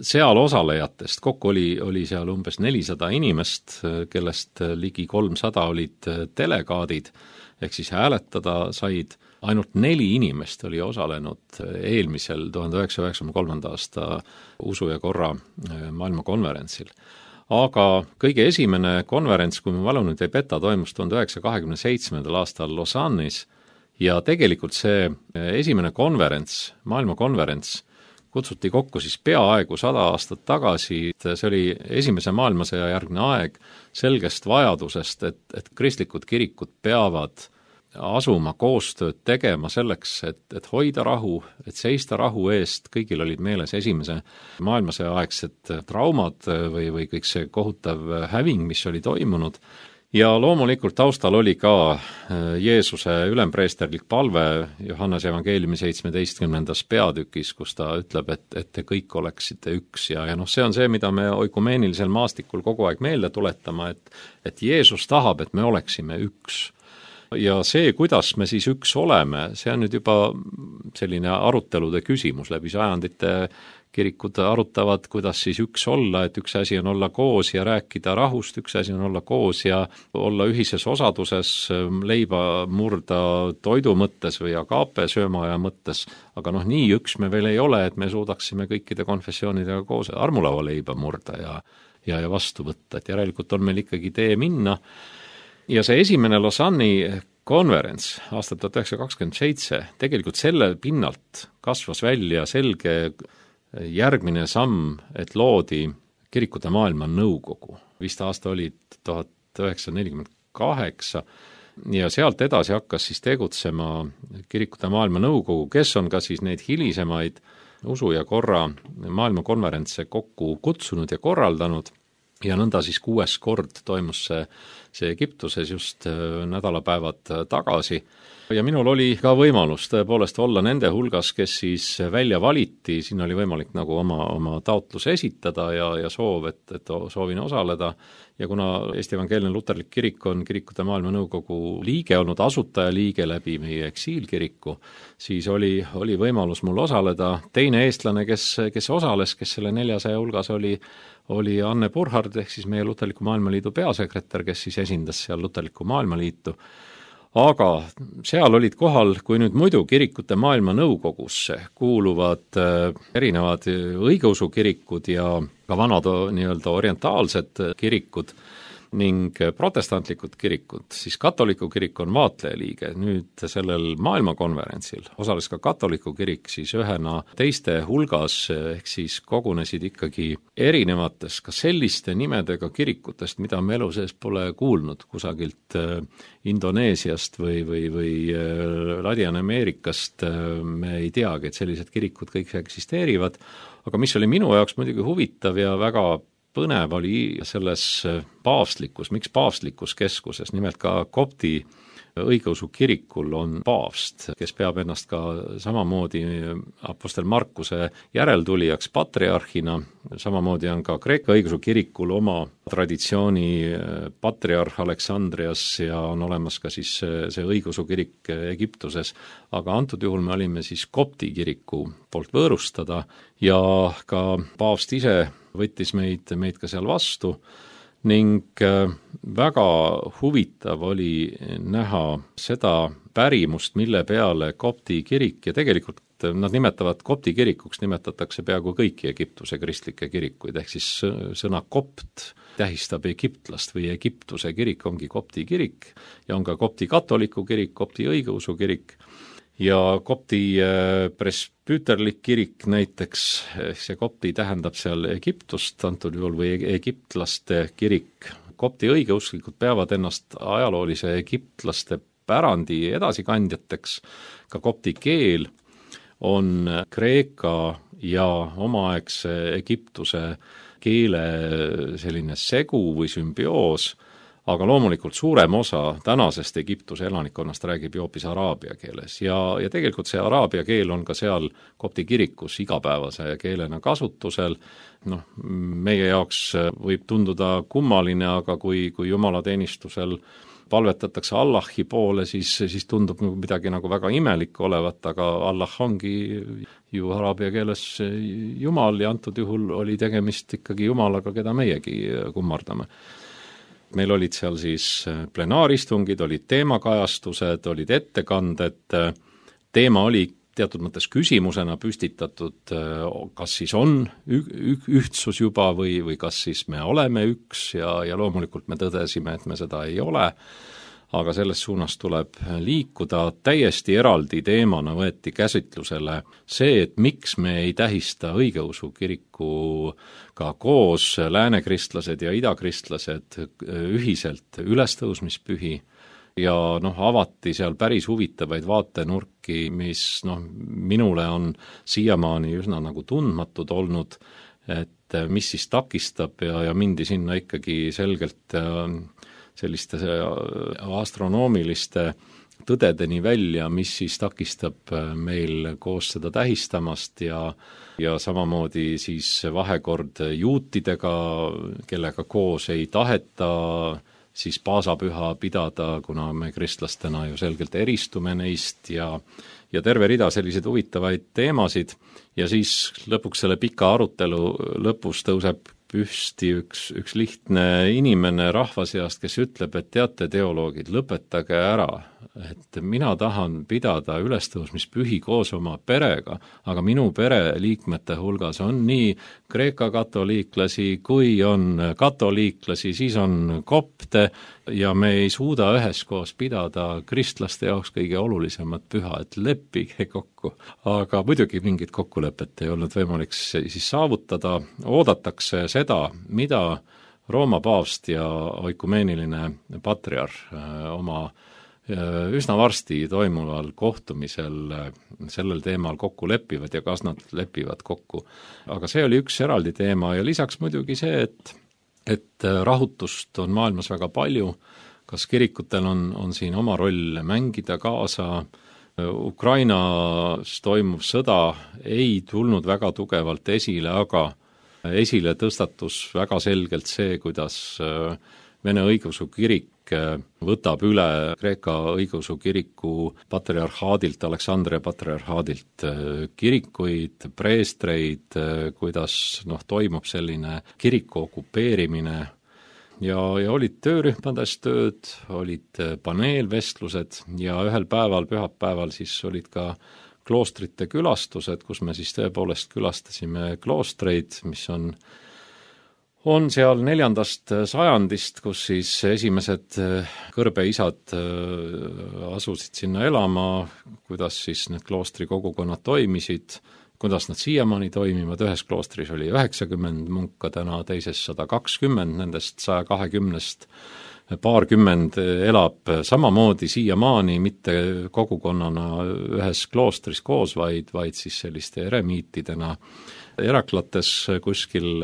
seal osalejatest kokku oli seal umbes 400 inimest, kellest ligi 300 olid delegaadid, ehk siis hääletada said. Ainult 4 inimest oli osalenud eelmisel 1993. aasta usu ja korra maailmakonverentsil. Aga kõige esimene konverents, kui mu mälu nüüd ei peta, toimus 1927. aastal Lausanne'is ja tegelikult see esimene konverents, maailmakonverents, kutsuti kokku siis peaaegu 100 aastat tagasi. See oli esimese maailmasõja järgne aeg selgest vajadusest, et kristlikud kirikud peavad asuma koostööd tegema selleks, et hoida rahu, et seista rahu eest, kõigil olid meeles esimese maailmasõja aegsed traumad või kõik see kohutav häving, mis oli toimunud. Ja loomulikult taustal oli ka Jeesuse ülempreesterlik palve Johannese evangeeliumi 17. peatükis, kus ta ütleb, et te kõik oleksite üks ja see on see, mida me oikumeenilisel maastikul kogu aeg meelde tuletama, et Jeesus tahab, et me oleksime üks. Ja see, kuidas me siis üks oleme, see on nüüd juba selline arutelude küsimus läbi sajandite. Kirikud arutavad, kuidas siis üks olla, et üks asi on olla koos ja rääkida rahust, üks asi on olla koos ja olla ühises osaduses, leiba murda toidu mõttes või agaape söömaaja mõttes, aga nii üks me veel ei ole, et me suudaksime kõikide konfessioonidega koos armulava leiba murda ja vastu võtta, et järelikult on meil ikkagi tee minna. Ja see esimene Lausanne'i konverents aastal 1927 tegelikult selle pinnalt kasvas välja selge järgmine samm, et loodi Kirikute maailma nõukogu. Vist aasta oli 1948 ja sealt edasi hakkas siis tegutsema Kirikute maailma nõukogu, kes on ka siis neid hilisemaid usu ja korra maailmakonverentse kokku kutsunud ja korraldanud ja nõnda siis 6. kord toimus see Egiptuses just nädalapäevad tagasi. Ja minul oli ka võimalus tõepoolest olla nende hulgas, kes siis välja valiti, siin oli võimalik nagu oma taotlus esitada ja soov, et soovin osaleda. Ja kuna Eesti Evangeelne Luterlik Kirik on Kirikute maailma nõukogu liige olnud, asutajaliige läbi meie eksiilkiriku, siis oli võimalus mul osaleda. Teine eestlane, kes osales, kes selle 400 hulgas oli Anne Burhard, ehk siis meie Luterliku maailmaliidu peasekretär, kes siis esindas seal Luterliku maailmaliitu. Aga seal olid kohal, kui nüüd muidu Kirikute maailma nõukogusse kuuluvad erinevad õigeusukirikud ja ka vanad nii-öelda orientaalsed kirikud ning protestantlikud kirikud, siis katoliku kirik on vaatlejaliige. Nüüd sellel maailmakonverentsil osales ka katoliku kirik siis ühena teiste hulgas, ehk siis kogunesid ikkagi erinevates ka selliste nimedega kirikutest, mida me elu sees pole kuulnud kusagilt Indoneesiast või Ladina-Ameerikast. Me ei teagi, et sellised kirikud kõik eksisteerivad, aga mis oli minu jaoks muidugi huvitav ja väga põnev oli selles miks paavstlikus keskuses, nimelt ka kopti õigeusu kirikul on paavst, kes peab ennast ka samamoodi apostel Markuse järeltulijaks patriarhina, samamoodi on ka Kreeka õigeusu kirikul oma traditsiooni patriarh Aleksandrias ja on olemas ka siis see õigeusu kirik Egiptuses, aga antud juhul me olime siis kopti kiriku poolt võõrustada ja ka paavst ise võttis meid ka seal vastu ning väga huvitav oli näha seda pärimust, mille peale kopti kirik ja tegelikult nad nimetavad kopti kirikuks, nimetatakse peaaegu kõiki Egiptuse kristlikke kirikuid, ehk siis sõna kopt tähistab egiptlast või Egiptuse kirik ongi kopti kirik ja on ka kopti katoliku kirik, kopti õigeusu kirik ja kopti presbüterlik kirik näiteks, see kopti tähendab seal Egiptust antud juhul või egiptlaste kirik. Kopti õigeusklikud peavad ennast ajaloolise egiptlaste pärandi edasikandjateks, ka kopti keel on kreeka ja omaaegse Egiptuse keele selline segu või sümbioos, aga loomulikult suurem osa tänasest Egiptuse elanikkonnast räägib hoopis araabia keeles ja tegelikult see araabia keel on ka seal kopti kirikus igapäevase keelena kasutusel. Meie jaoks võib tunduda kummaline, aga kui jumalateenistusel palvetatakse Allahi poole, siis tundub midagi nagu väga imelik olevat, aga Allah ongi ju araabia keeles Jumal ja antud juhul oli tegemist ikkagi Jumalaga, keda meiegi kummardame. Meil olid seal siis plenaaristungid, olid teemakajastused, olid ettekanded, teema oli teatud mõttes küsimusena püstitatud, kas siis on ühtsus juba või kas siis me oleme üks ja loomulikult me tõdesime, et me seda ei ole, aga selles suunas tuleb liikuda. Täiesti eraldi teemana võeti käsitlusele see, et miks me ei tähista õigeusu kirikuga koos läänekristlased ja idakristlased ühiselt ülestõusmispühi ja avati seal päris huvitavaid vaatenurki, mis minule on siiamaani üsna nagu tundmatud olnud, et mis siis takistab ja mindi sinna ikkagi selgelt selliste astronoomiliste tõdedeni välja, mis siis takistab meil koos seda tähistamast ja samamoodi siis vahekord juutidega, kellega koos ei taheta siis paasapüha pidada, kuna me kristlastena ju selgelt eristume neist ja terve rida selliseid huvitavaid teemasid ja siis lõpuks selle pika arutelu lõpus tõuseb püsti üks lihtne inimene rahva seast, kes ütleb, et teate, teoloogid, lõpetage ära, et mina tahan pidada ülestõusmispühi koos oma perega, aga minu pereliikmete hulgas on nii Kreeka katoliiklasi kui on katoliiklasi, siis on kopte ja me ei suuda üheskoos pidada kristlaste jaoks kõige olulisemat püha, et leppige kokku. Aga muidugi mingit kokkulepet ei olnud võimalik siis saavutada, oodatakse seda, mida Rooma paavst ja oikumeeniline patriarh oma üsna varsti toimuval kohtumisel sellel teemal kokku lepivad ja kas nad lepivad kokku. Aga see oli üks eraldi teema ja lisaks muidugi see, et rahutust on maailmas väga palju, kas kirikutel on siin oma roll mängida kaasa, Ukrainas toimuv sõda ei tulnud väga tugevalt esile, aga esile tõstatus väga selgelt see, kuidas Vene õigeusu kirik võtab üle Kreeka õigeusu kiriku patriarhaadilt, Aleksandria patriarhaadilt kirikuid, preestreid, kuidas toimub selline kiriku okupeerimine ja olid töörühmades tööd, olid paneelvestlused ja ühel päeval, pühapäeval siis olid ka kloostrite külastused, kus me siis tõepoolest külastasime kloostreid, mis on seal 4. sajandist, kus siis esimesed kõrbeisad asusid sinna elama, kuidas siis need kloostri kogukonnad toimisid, kuidas nad siiamaani toimivad, ühes kloostris oli 90 munka, täna teises 120, nendest 120-st paarkümmend elab samamoodi siiamaani, mitte kogukonnana ühes kloostris koos, vaid siis selliste eremiitidena. Eraklates kuskil,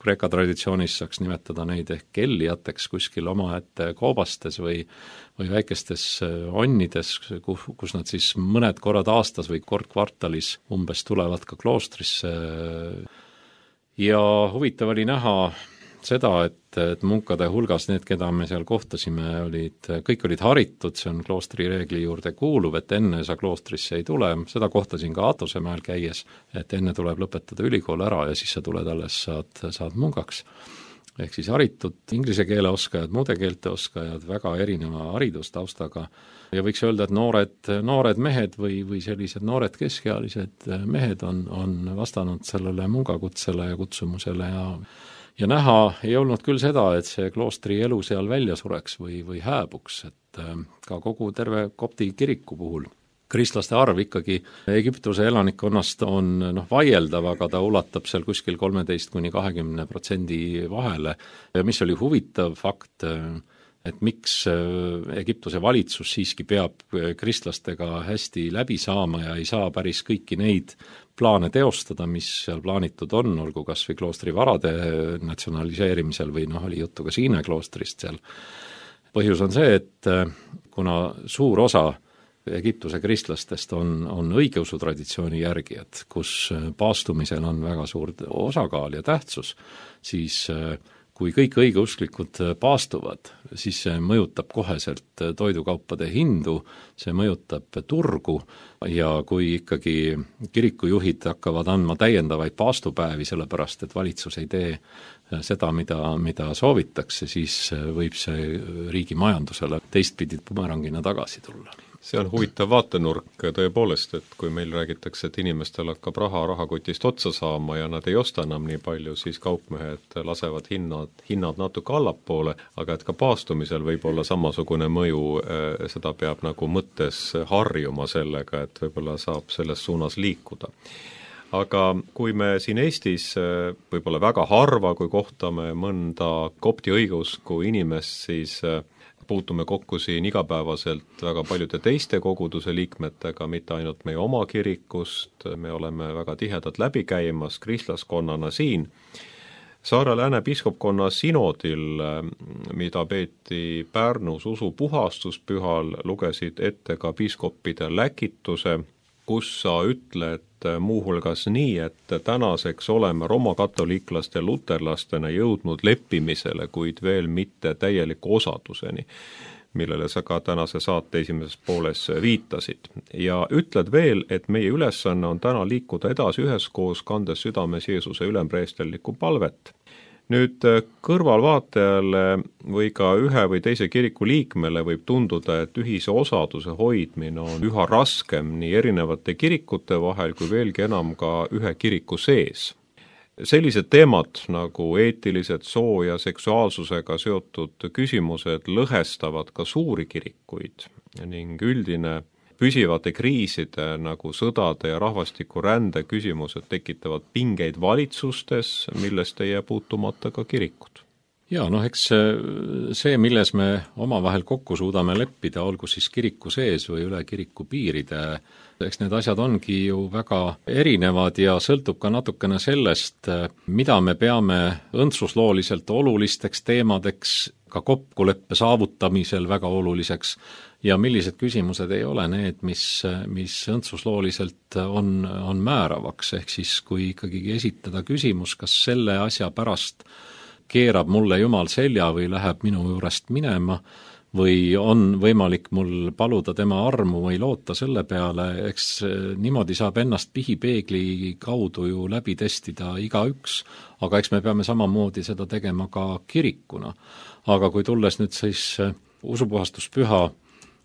Kreeka traditsioonis saaks nimetada neid ehk kellijateks kuskil omaette koobastes või väikestes onnides, kus nad siis mõned korrad aastas või kord kvartalis umbes tulevad ka kloostrisse. Ja huvitav oli näha seda, et munkade hulgas need, keda me seal kohtasime, kõik olid haritud, see on kloostri reegli juurde kuuluv, et enne sa kloostrisse ei tule, seda kohtasin ka Atosemäel käies, et enne tuleb lõpetada ülikool ära ja siis sa tuled alles, saad munkaks. Ehk siis haritud inglise keele oskajad, muude keelte oskajad, väga erineva haridustaustaga ja võiks öelda, et noored mehed või sellised noored keskealised mehed on vastanud sellele mungakutsele ja kutsumusele ja näha ei olnud küll seda, et see kloostri elu seal välja sureks või hääbuks, et ka kogu terve kopti kiriku puhul. Kristlaste arv ikkagi Egiptuse elanikkonnast on vaieldav, aga ta ulatab seal kuskil 13–20% vahele. Ja mis oli huvitav fakt, et miks Egiptuse valitsus siiski peab kristlastega hästi läbi saama ja ei saa päris kõiki neid plaane teostada, mis seal plaanitud on, olgu kas või kloostri varade natsionaliseerimisel või oli juttu ka Siine kloostrist seal. Põhjus on see, et kuna suur osa Egiptuse kristlastest on õigeusu traditsiooni järgijad, kus paastumisel on väga suur osakaal ja tähtsus, siis kui kõik õigeusklikud paastuvad, siis see mõjutab koheselt toidukaupade hindu, see mõjutab turgu ja kui ikkagi kirikujuhid hakkavad andma täiendavaid paastupäevi, sellepärast et valitsus ei tee seda, mida soovitakse, siis võib see riigi majandusele teistpidi bumerangina tagasi tulla. See on huvitav vaatenurk tõepoolest, et kui meil räägitakse, et inimestel hakkab rahakotist otsa saama ja nad ei osta enam nii palju, siis kaupmehed lasevad hinnad natuke allapoole, aga et ka paastumisel võib olla samasugune mõju, seda peab nagu mõttes harjuma sellega, et võib-olla saab selles suunas liikuda. Aga kui me siin Eestis võib-olla väga harva, kui kohtame mõnda kopti õigeusku inimest, siis puutume kokku siin igapäevaselt väga paljude teiste koguduse liikmetega, mitte ainult meie oma kirikust, me oleme väga tihedalt läbi käimas kristlaskonnana siin. Saare-Lääne piiskopkonna sinodil, mida peeti Pärnus usupuhastuspühal, lugesid ette ka piiskoppide läkituse, kus sa ütled muuhulgas nii, et tänaseks oleme romakatoliiklaste ja luterlastena jõudnud leppimisele, kuid veel mitte täieliku osaduseni, millele sa ka tänase saate esimeses pooles viitasid. Ja ütled veel, et meie ülesanne on täna liikuda edasi üheskoos, kandes südames Jeesuse ülempreesterlikku palvet. Nüüd kõrvalvaatajale või ka ühe või teise kiriku liikmele võib tunduda, et ühise osaduse hoidmine on üha raskem nii erinevate kirikute vahel kui veelgi enam ka ühe kiriku sees. Sellised teemad nagu eetilised soo- ja seksuaalsusega seotud küsimused lõhestavad ka suuri kirikuid ning üldine püsivate kriiside nagu sõdade ja rahvastikurände küsimused tekitavad pingeid valitsustes, millest ei jää puutumata ka kirikud. Jaa, eks see, milles me omavahel kokku suudame leppida, olgu siis kiriku sees või üle kiriku piiride, eks need asjad ongi ju väga erinevad ja sõltub ka natukene sellest, mida me peame õndsuslooliselt olulisteks teemadeks, ka kokkuleppe saavutamisel väga oluliseks ja millised küsimused ei ole need, mis õndsuslooliselt on määravaks, ehk siis kui ikkagi esitada küsimus, kas selle asja pärast keerab mulle Jumal selja või läheb minu juurest minema või on võimalik mul paluda tema armu või loota selle peale, eks niimoodi saab ennast pihipeegli kaudu ju läbi testida igaüks, aga eks me peame samamoodi seda tegema ka kirikuna. Aga kui tulles nüüd siis usupuhastuspüha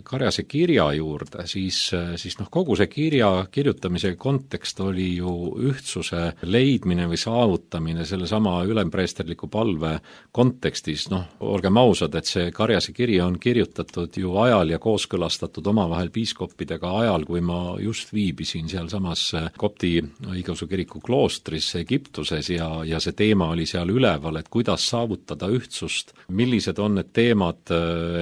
Karjase kirja juurde, siis kogu see kirja kirjutamise kontekst oli ju ühtsuse leidmine või saavutamine sellesama ülempreesterliku palve kontekstis. Olgem ausad, et see Karjase kiri on kirjutatud ju ajal ja kooskõlastatud omavahel piiskoppidega ajal, kui ma just viibisin sealsamas kopti õigeusu kiriku kloostris Egiptuses ja see teema oli seal üleval, et kuidas saavutada ühtsust, millised on need teemad,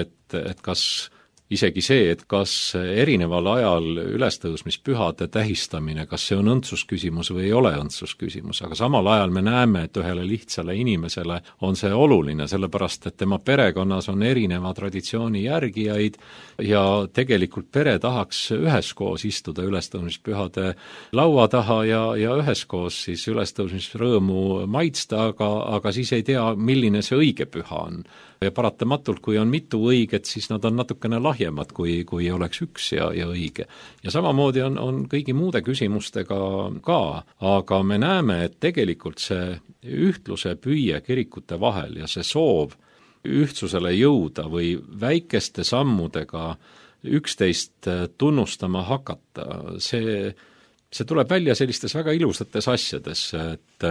et kas isegi see, et kas erineval ajal ülestõusmispühade tähistamine, kas see on õndsusküsimus või ei ole õndsusküsimus, aga samal ajal me näeme, et ühele lihtsale inimesele on see oluline, sellepärast et tema perekonnas on erineva traditsiooni järgijaid ja tegelikult pere tahaks üheskoos istuda ülestõusmispühade laua taha ja üheskoos siis ülestõusmisrõõmu maitsta, aga siis ei tea, milline see õige püha on. Ja paratamatult, kui on mitu õiget, siis nad on natukene lahjemad, kui oleks üks ja õige. Ja samamoodi on kõigi muude küsimustega ka, aga me näeme, et tegelikult see ühtluse püüe kirikute vahel ja see soov ühtsusele jõuda või väikeste sammudega üksteist tunnustama hakata, see tuleb välja sellistes väga ilusates asjades, et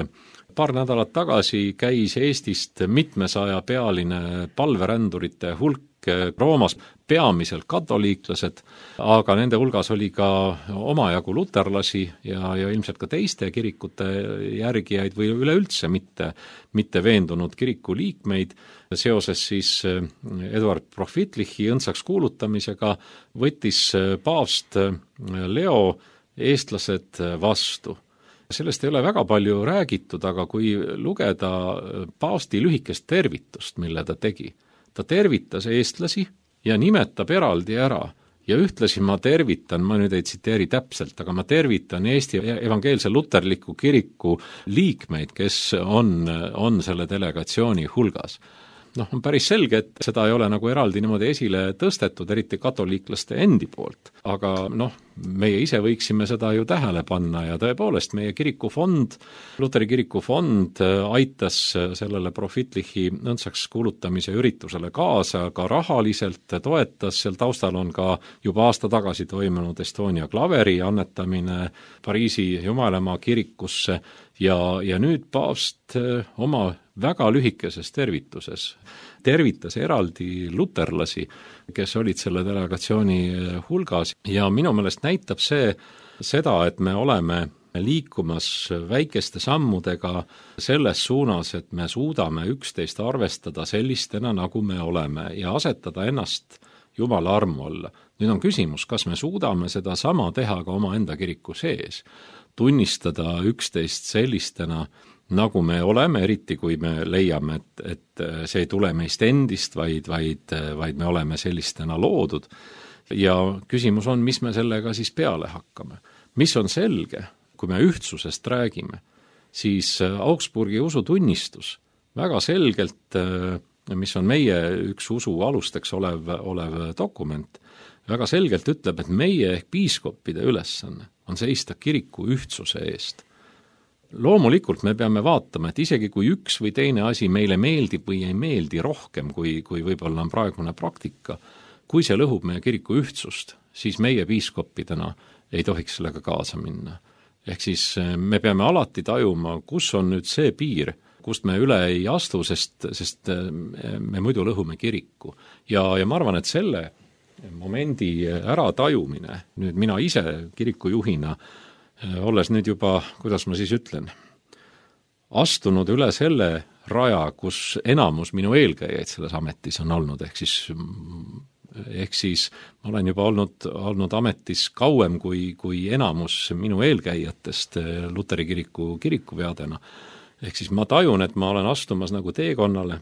paar nädalat tagasi käis Eestist mitmesaja pealine palverändurite hulk Roomas, peamiselt katoliiklased, aga nende hulgas oli ka omajagu luterlasi ja ilmselt ka teiste kirikute järgijaid või üleüldse mitte veendunud kiriku liikmeid. Seoses siis Eduard Prohvitlichi õndsaks kuulutamisega võttis paavst Leo eestlased vastu. Sellest ei ole väga palju räägitud, aga kui lugeda paavsti lühikest tervitust, mille ta tegi, ta tervitas eestlasi ja nimetab eraldi ära ja ühtlasi ma nüüd ei tsiteeri täpselt, aga ma tervitan Eesti evangeelse luterliku kiriku liikmeid, kes on selle delegatsiooni hulgas. On päris selge, et seda ei ole nagu eraldi niimoodi esile tõstetud, eriti katoliiklaste endi poolt. Aga meie ise võiksime seda ju tähele panna ja tõepoolest meie kirikufond, Luteri kirikufond aitas sellele Prohvitlichi õndsaks kuulutamise üritusele kaasa, ka rahaliselt toetas, seal taustal on ka juba aasta tagasi toimunud Estonia klaveri annetamine Pariisi Jumalamaa kirikusse ja nüüd paavst oma väga lühikeses tervitas eraldi luterlasi, kes olid selle delegatsiooni hulgas ja minu meelest näitab seda, et me oleme liikumas väikeste sammudega selles suunas, et me suudame üksteist arvestada sellistena, nagu me oleme ja asetada ennast Jumala armu alla. Nüüd on küsimus, kas me suudame seda sama teha ka oma enda kiriku sees, tunnistada üksteist sellistena, nagu me oleme, eriti kui me leiame, et see ei tule meist endist, vaid me oleme sellistena loodud. Ja küsimus on, mis me sellega siis peale hakkame. Mis on selge, kui me ühtsusest räägime, siis Augsburgi usutunnistus väga selgelt, mis on meie üks usu alusteks olev dokument, väga selgelt ütleb, et meie ehk piiskopide ülesanne on seista kiriku ühtsuse eest. Loomulikult me peame vaatama, et isegi kui üks või teine asi meile meeldib või ei meeldi rohkem, kui võib-olla on praegune praktika, kui see lõhub meie kiriku ühtsust, siis meie piiskopidena ei tohiks sellega kaasa minna. Ehk siis me peame alati tajuma, kus on nüüd see piir, kust me üle ei astu, sest me muidu lõhume kiriku. Ja ma arvan, et selle momendi ära tajumine, nüüd mina ise kirikujuhina, olles nüüd juba, kuidas ma siis ütlen, astunud üle selle raja, kus enamus minu eelkäijaid selles ametis on olnud, ehk siis ma olen juba olnud ametis kauem kui enamus minu eelkäijatest Luteri kiriku kirikupeadena. Ehk siis ma tajun, et ma olen astumas nagu teekonnale,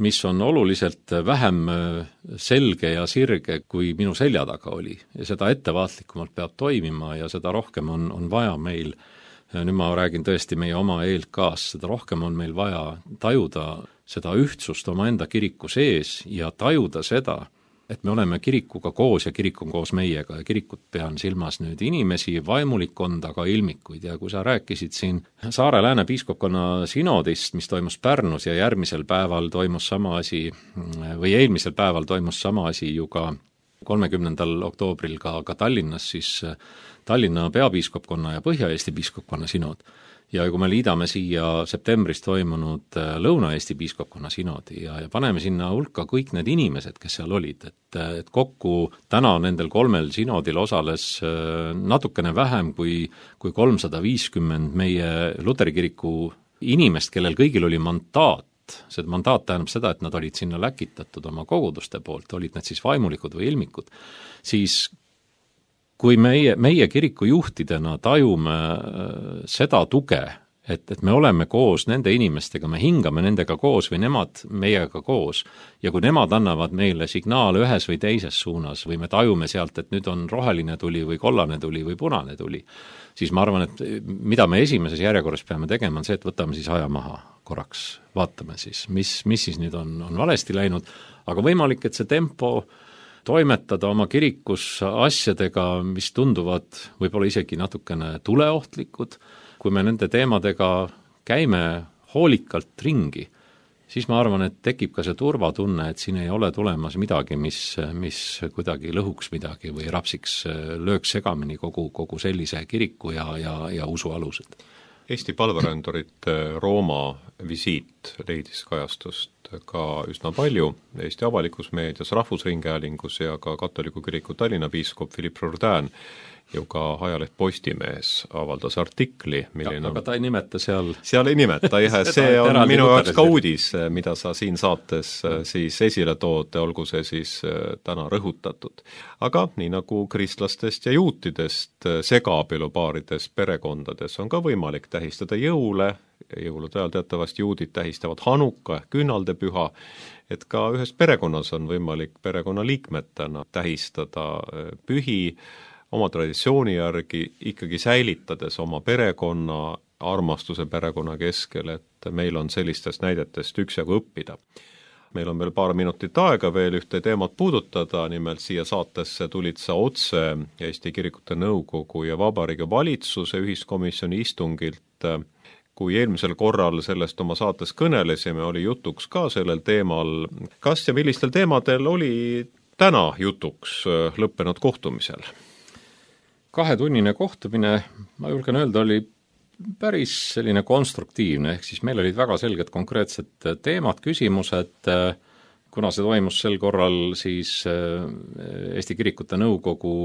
mis on oluliselt vähem selge ja sirge, kui minu selja taga oli. Ja seda ettevaatlikumalt peab toimima ja seda rohkem on vaja meil, nüüd ma räägin tõesti meie oma ELK-s, seda rohkem on meil vaja tajuda seda ühtsust oma enda kiriku sees ja tajuda seda, et me oleme kirikuga koos ja kirik on koos meiega ja kirikut pean silmas nüüd inimesi, vaimulikkonda, ka ilmikuid. Ja kui sa rääkisid siin Saare-Lääne piiskopkonna sinodist, mis toimus Pärnus ja järgmisel päeval toimus sama asi, või eelmisel päeval toimus sama asi ju ka 30. oktoobril ka Tallinnas, siis Tallinna peapiiskopkonna ja Põhja-Eesti piiskopkonna sinod. Ja kui me liidame siia septembris toimunud Lõuna-Eesti piiskopkonna sinodi ja paneme sinna hulka kõik need inimesed, kes seal olid, et kokku täna nendel 3 sinodil osales natukene vähem kui 350 meie Luteri kiriku inimest, kellel kõigil oli mandaat. See mandaat tähendab seda, et nad olid sinna läkitatud oma koguduste poolt, olid need siis vaimulikud või ilmikud, siis kui meie kiriku juhtidena tajume seda tuge, et me oleme koos nende inimestega, me hingame nendega koos või nemad meiega koos ja kui nemad annavad meile signaale ühes või teises suunas või me tajume sealt, et nüüd on roheline tuli või kollane tuli või punane tuli, siis ma arvan, et mida me esimeses järjekorras peame tegema, on see, et võtame siis aja maha korraks, vaatame siis, mis siis nüüd on valesti läinud, aga võimalik, et see tempo toimetada oma kirikus asjadega, mis tunduvad võib-olla isegi natukene tuleohtlikud, kui me nende teemadega käime hoolikalt ringi, siis ma arvan, et tekib ka see turvatunne, et siin ei ole tulemas midagi, mis kuidagi lõhuks midagi või rapsiks, lööks segamini kogu sellise kiriku ja usu alused. Eesti palverändurite Rooma visiit leidis kajastust ka üsna palju Eesti avalikus meedias, rahvusringhäälingus ja ka katoliku kiriku Tallinna piiskop Philippe Jourdain ju ka ajaleht Postimees avaldas artikli, milline aga ta ei nimeta seal ei nimeta, jah, see on minu jaoks ka uudis, mida sa siin saates siis esile tood, olgu see siis täna rõhutatud. Aga nii nagu kristlastest ja juutidest segaabielupaarides perekondades on ka võimalik tähistada jõulude ajal teatavasti juudid tähistavad Hanuka ehk küünaldepüha, et ka ühes perekonnas on võimalik perekonnaliikmetena tähistada pühi oma traditsiooni järgi, ikkagi säilitades oma perekonna, armastuse perekonna keskel, et meil on sellistest näidetest üksjagu õppida. Meil on veel paar minutit aega veel ühte teemat puudutada, nimelt siia saatesse tulid sa otse Eesti Kirikute Nõukogu ja Vabariigi Valitsuse ühiskomisjoni istungilt. Kui eelmisel korral sellest oma saates kõnelesime, oli jutuks ka sellel teemal. Kas ja millistel teemadel oli täna jutuks lõppenud kohtumisel? 2-tunnine kohtumine, ma julgen öelda, oli päris selline konstruktiivne, ehk siis meil olid väga selged konkreetsed teemad, küsimused, kuna see toimus sel korral siis Eesti Kirikute Nõukogu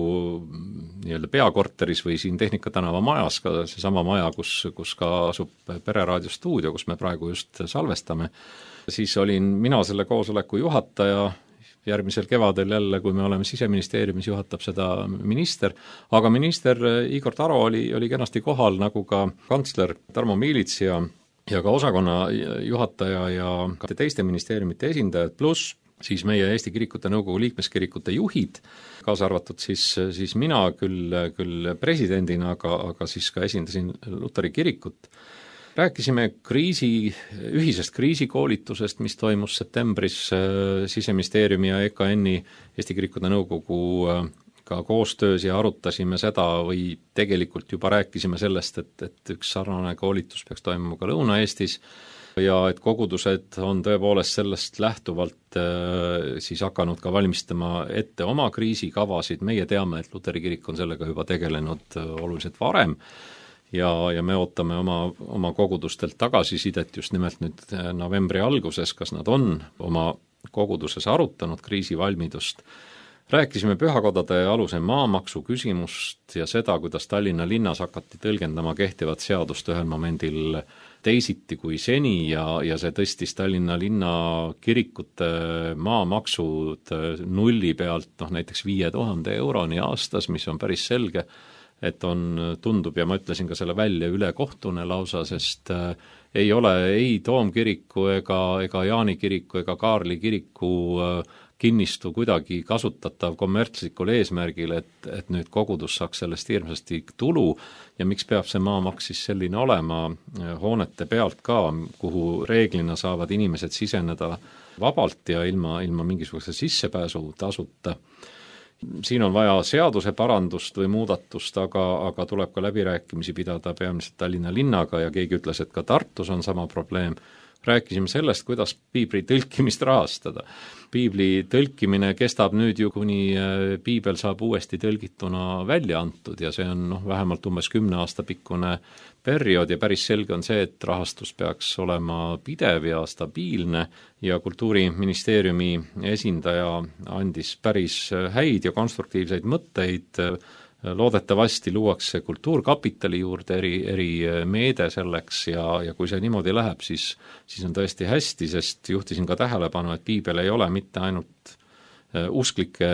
nii-öelda peakorteris või siin Tehnika tänava majas, ka seesama maja, kus ka asub Pereraadio stuudio, kus me praegu just salvestame, siis olin mina selle koosoleku juhataja. Järgmisel kevadel jälle, kui me oleme Siseministeeriumis, juhatab seda minister, aga minister Igor Taro oli kenasti kohal, nagu ka kantsler Tarmo Miilits ja ka osakonna juhataja ja ka teiste ministeeriumite esindajad, pluss siis meie Eesti Kirikute Nõukogu liikmeskirikute juhid, kaasa arvatud siis mina küll presidendina, aga siis ka esindasin Luteri kirikut. Rääkisime ühisest kriisikoolitusest, mis toimus septembris Siseministeeriumi ja EKN-i Eesti Kirikute Nõukogu ka koostöös ja arutasime seda või tegelikult juba rääkisime sellest, et üks sarnane koolitus peaks toimuma ka Lõuna-Eestis ja et kogudused on tõepoolest sellest lähtuvalt siis hakanud ka valmistama ette oma kriisikavasid. Meie teame, et Luteri kirik on sellega juba tegelenud oluliselt varem ja me ootame oma kogudustelt tagasisidet just nimelt nüüd novembri alguses, kas nad on oma koguduses arutanud kriisivalmidust. Rääkisime pühakodade aluse maamaksu küsimust ja seda, kuidas Tallinna linnas hakati tõlgendama kehtivat seadust ühel momendil teisiti kui seni ja see tõstis Tallinna linna kirikute maamaksud nulli pealt näiteks 5000 euroni aastas, mis on päris selge, et tundub ja ma ütlesin ka selle välja ülekohtune lausa, sest ei ole ei Toomkiriku ega Jaani kiriku ega Kaarli kiriku kinnistu kuidagi kasutatav kommertslikul eesmärgil, et nüüd kogudus saaks sellest hirmsasti tulu ja miks peab see maamaks siis selline olema hoonete pealt ka, kuhu reeglina saavad inimesed siseneda vabalt ja ilma mingisuguse sissepääsu tasuta. Siin on vaja seaduse parandust või muudatust, aga tuleb ka läbirääkimisi pidada peamiselt Tallinna linnaga ja keegi ütles, et ka Tartus on sama probleem. Rääkisime sellest, kuidas piibli tõlkimist rahastada. Piibli tõlkimine kestab nüüd ju, kuni piibel saab uuesti tõlgituna välja antud ja see on vähemalt umbes 10 aasta pikkune periood ja päris selge on see, et rahastus peaks olema pidev ja stabiilne ja Kultuuriministeeriumi esindaja andis päris häid ja konstruktiivseid mõtteid. Loodetavasti luuakse kultuurkapitali juurde eri meede selleks ja kui see niimoodi läheb, siis on tõesti hästi, sest juhtisin ka tähelepanu, et piibel ei ole mitte ainult usklike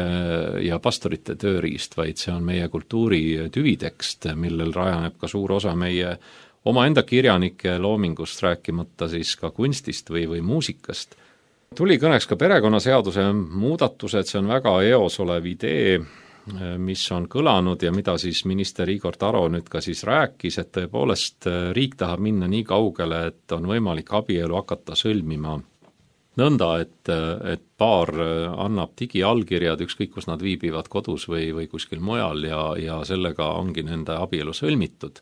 ja pastorite tööriist, vaid see on meie kultuuri tüvitekst, millel rajaneb ka suur osa meie omaenda kirjanike loomingust, rääkimata siis ka kunstist või muusikast. Tuli kõneks ka perekonnaseaduse muudatused, see on väga eos olev idee, mis on kõlanud ja mida siis minister Igor Taro nüüd ka siis rääkis, et tõepoolest riik tahab minna nii kaugele, et on võimalik abielu hakata sõlmima nõnda, et paar annab digiallkirjad, ükskõik kus nad viibivad kodus või kuskil mujal ja sellega ongi nende abielu sõlmitud.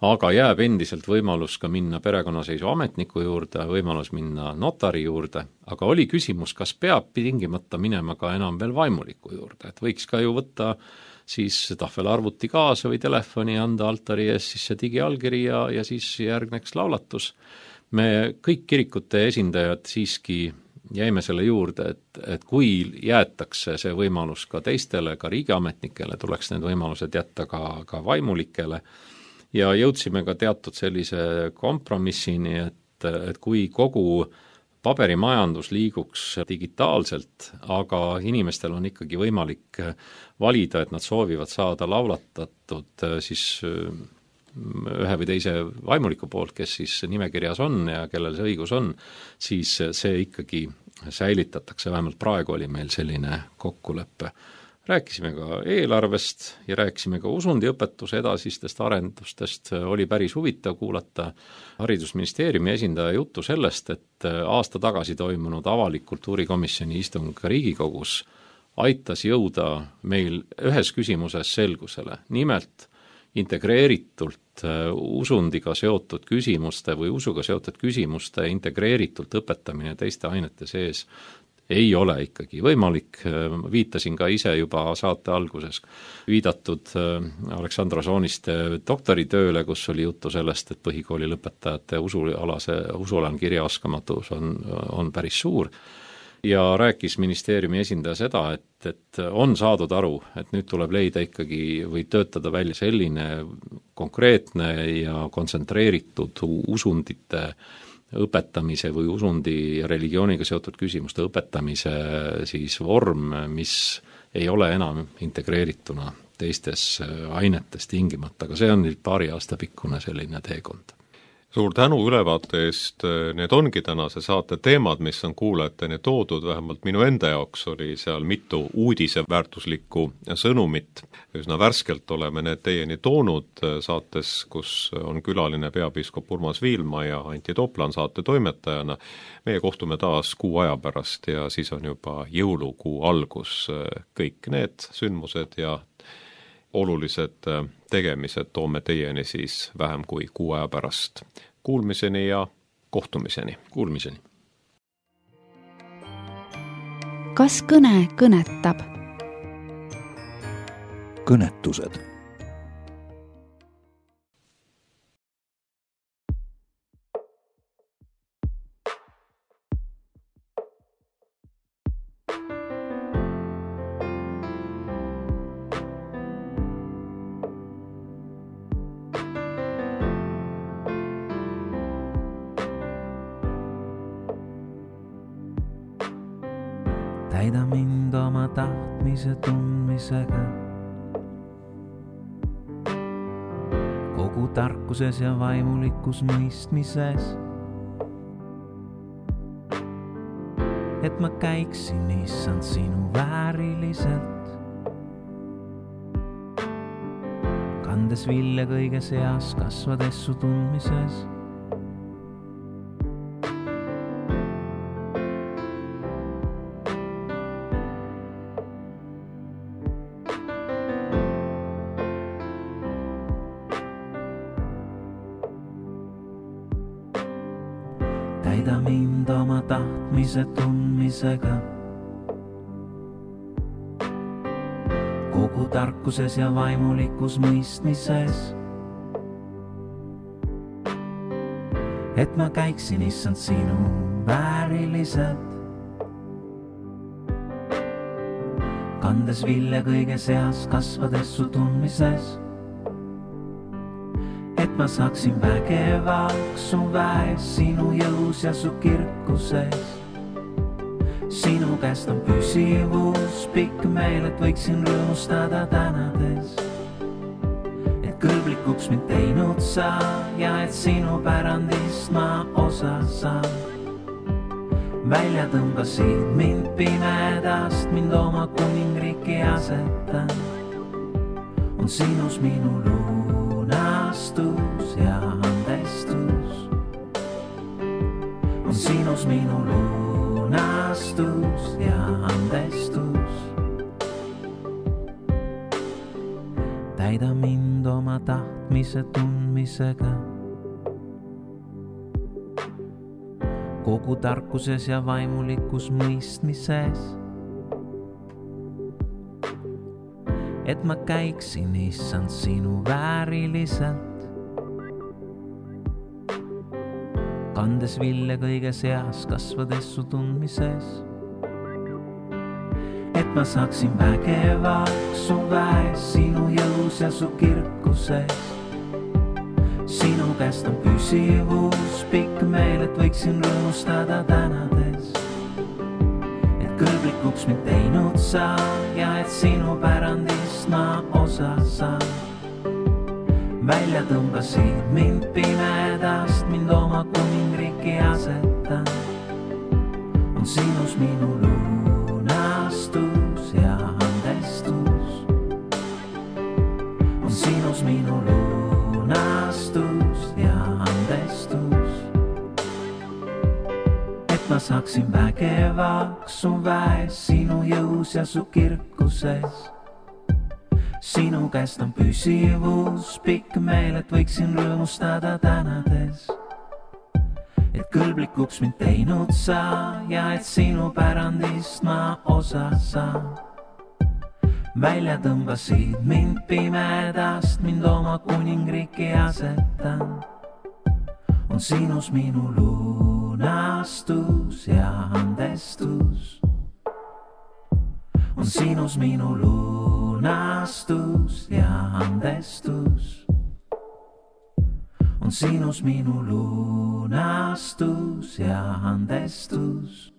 Aga jääb endiselt võimalus ka minna perekonnaseisu ametniku juurde, võimalus minna notari juurde, aga oli küsimus, kas peab tingimata minema ka enam veel vaimuliku juurde, et võiks ka ju võtta siis tahvelarvuti kaasa või telefoni, anda altari ees siis see digiallkiri ja siis järgneks laulatus. Me kõik kirikute esindajad siiski jäime selle juurde, et kui jäetakse see võimalus ka teistele, ka riigiametnikele, tuleks need võimalused jätta ka vaimulikele. Ja jõudsime ka teatud sellise kompromissini, et kui kogu paberimajandus liiguks digitaalselt, aga inimestel on ikkagi võimalik valida, et nad soovivad saada laulatatud siis ühe või teise vaimuliku poolt, kes siis nimekirjas on ja kellel see õigus on, siis see ikkagi säilitatakse, vähemalt praegu oli meil selline kokkulepe. Rääkisime ka eelarvest ja rääkisime ka usundiõpetuse edasistest arendustest, oli päris huvitav kuulata Haridusministeeriumi esindaja juttu sellest, et aasta tagasi toimunud avalik kultuurikomisjoni istung Riigikogus aitas jõuda meil ühes küsimuses selgusele, nimelt integreeritult usundiga seotud küsimuste või usuga seotud küsimuste integreeritult õpetamine teiste ainete sees ei ole ikkagi võimalik. Viitasin ka ise juba saate alguses viidatud Aleksandra Sooniste doktoritööle, kus oli juttu sellest, et põhikooli lõpetajate usualane kirjaoskamatus on päris suur. ja rääkis ministeeriumi esindaja seda, et on saadud aru, et nüüd tuleb leida ikkagi või töötada välja selline konkreetne ja kontsentreeritud usundite õpetamise või usundi ja religiooniga seotud küsimuste õpetamise siis vorm, mis ei ole enam integreerituna teistes ainetes tingimata, aga see on nüüd paari aasta pikkune selline teekond. Suur tänu ülevaate eest, need ongi tänase saate teemad, mis on kuulajateni toodud, vähemalt minu enda jaoks oli seal mitu uudiseväärtuslikku sõnumit. Üsna värskelt oleme need teieni toonud saates, kus on külaline peapiiskop Urmas Viilma ja Antti Toplan saate toimetajana. Meie kohtume taas kuu aja pärast ja siis on juba jõulukuu algus. Kõik need sündmused ja olulised tegemised toome teieni siis vähem kui kuu aja pärast. Kuulmiseni ja kohtumiseni. Kuulmiseni. Kas kõne kõnetab? Kõnetused. Täida mind oma tahtmise tundmisega, kogu tarkuses ja vaimulikus mõistmises, et ma käiksin, issand, sinu vääriliselt, kandes vilja kõige seas, kasvades su tundmises. Täida mind oma tahtmise tundmisega, kogu tarkuses ja vaimulikus mõistmises, et ma käiksin, issand, sinu vääriliselt, kandes vilja kõige seas, kasvades su tundmises, et ma saaksin vägevaks su väes, sinu jõus ja su kirkuses. Sinu käest on püsivus, pikk meel, et võiksin rõõmustada tänades, et kõlblikuks mind teinud sa ja et sinu pärandist ma osa saan. Välja tõmbasid mind pimedast, mind oma kuningriiki asetan, on sinus minu lunastus ja andestus, on sinus minu lunastus ja andestus. Täida mind oma tahtmise tundmisega, kogu tarkuses ja vaimulikus mõistmises, et ma käiksin, issand, sinu vääriliselt, kandes vilja kõige seas, kasvades su tundmises, et ma saaksin vägevaks su väes, sinu jõus ja su kirkuses. Sinu käest on püsivus, pikk meel, et võiksin rõõmustada tänades, et kõlblikuks mind teinud sa ja et sinu pärandist ma osa saan. Välja tõmbasid mind pimedast, mind oma kuningriiki asetan, on sinus minu lunastus ja andestus, on sinus minu lunastus ja andestus, et ma saaksin vägevaks su väes, sinu jõus ja su kirkuses. Sinu käest on püsivus, pikk meel, et võiksin rõõmustada tänades, et kõlblikuks mind teinud sa ja et sinu pärandist ma osa saan. Välja tõmbasid mind pimedast, mind oma kuningriiki asetan, on sinus minu luna lunastus ja andestus. On sinus minu lunastus ja andestus. On sinus minu lunastus ja andestus.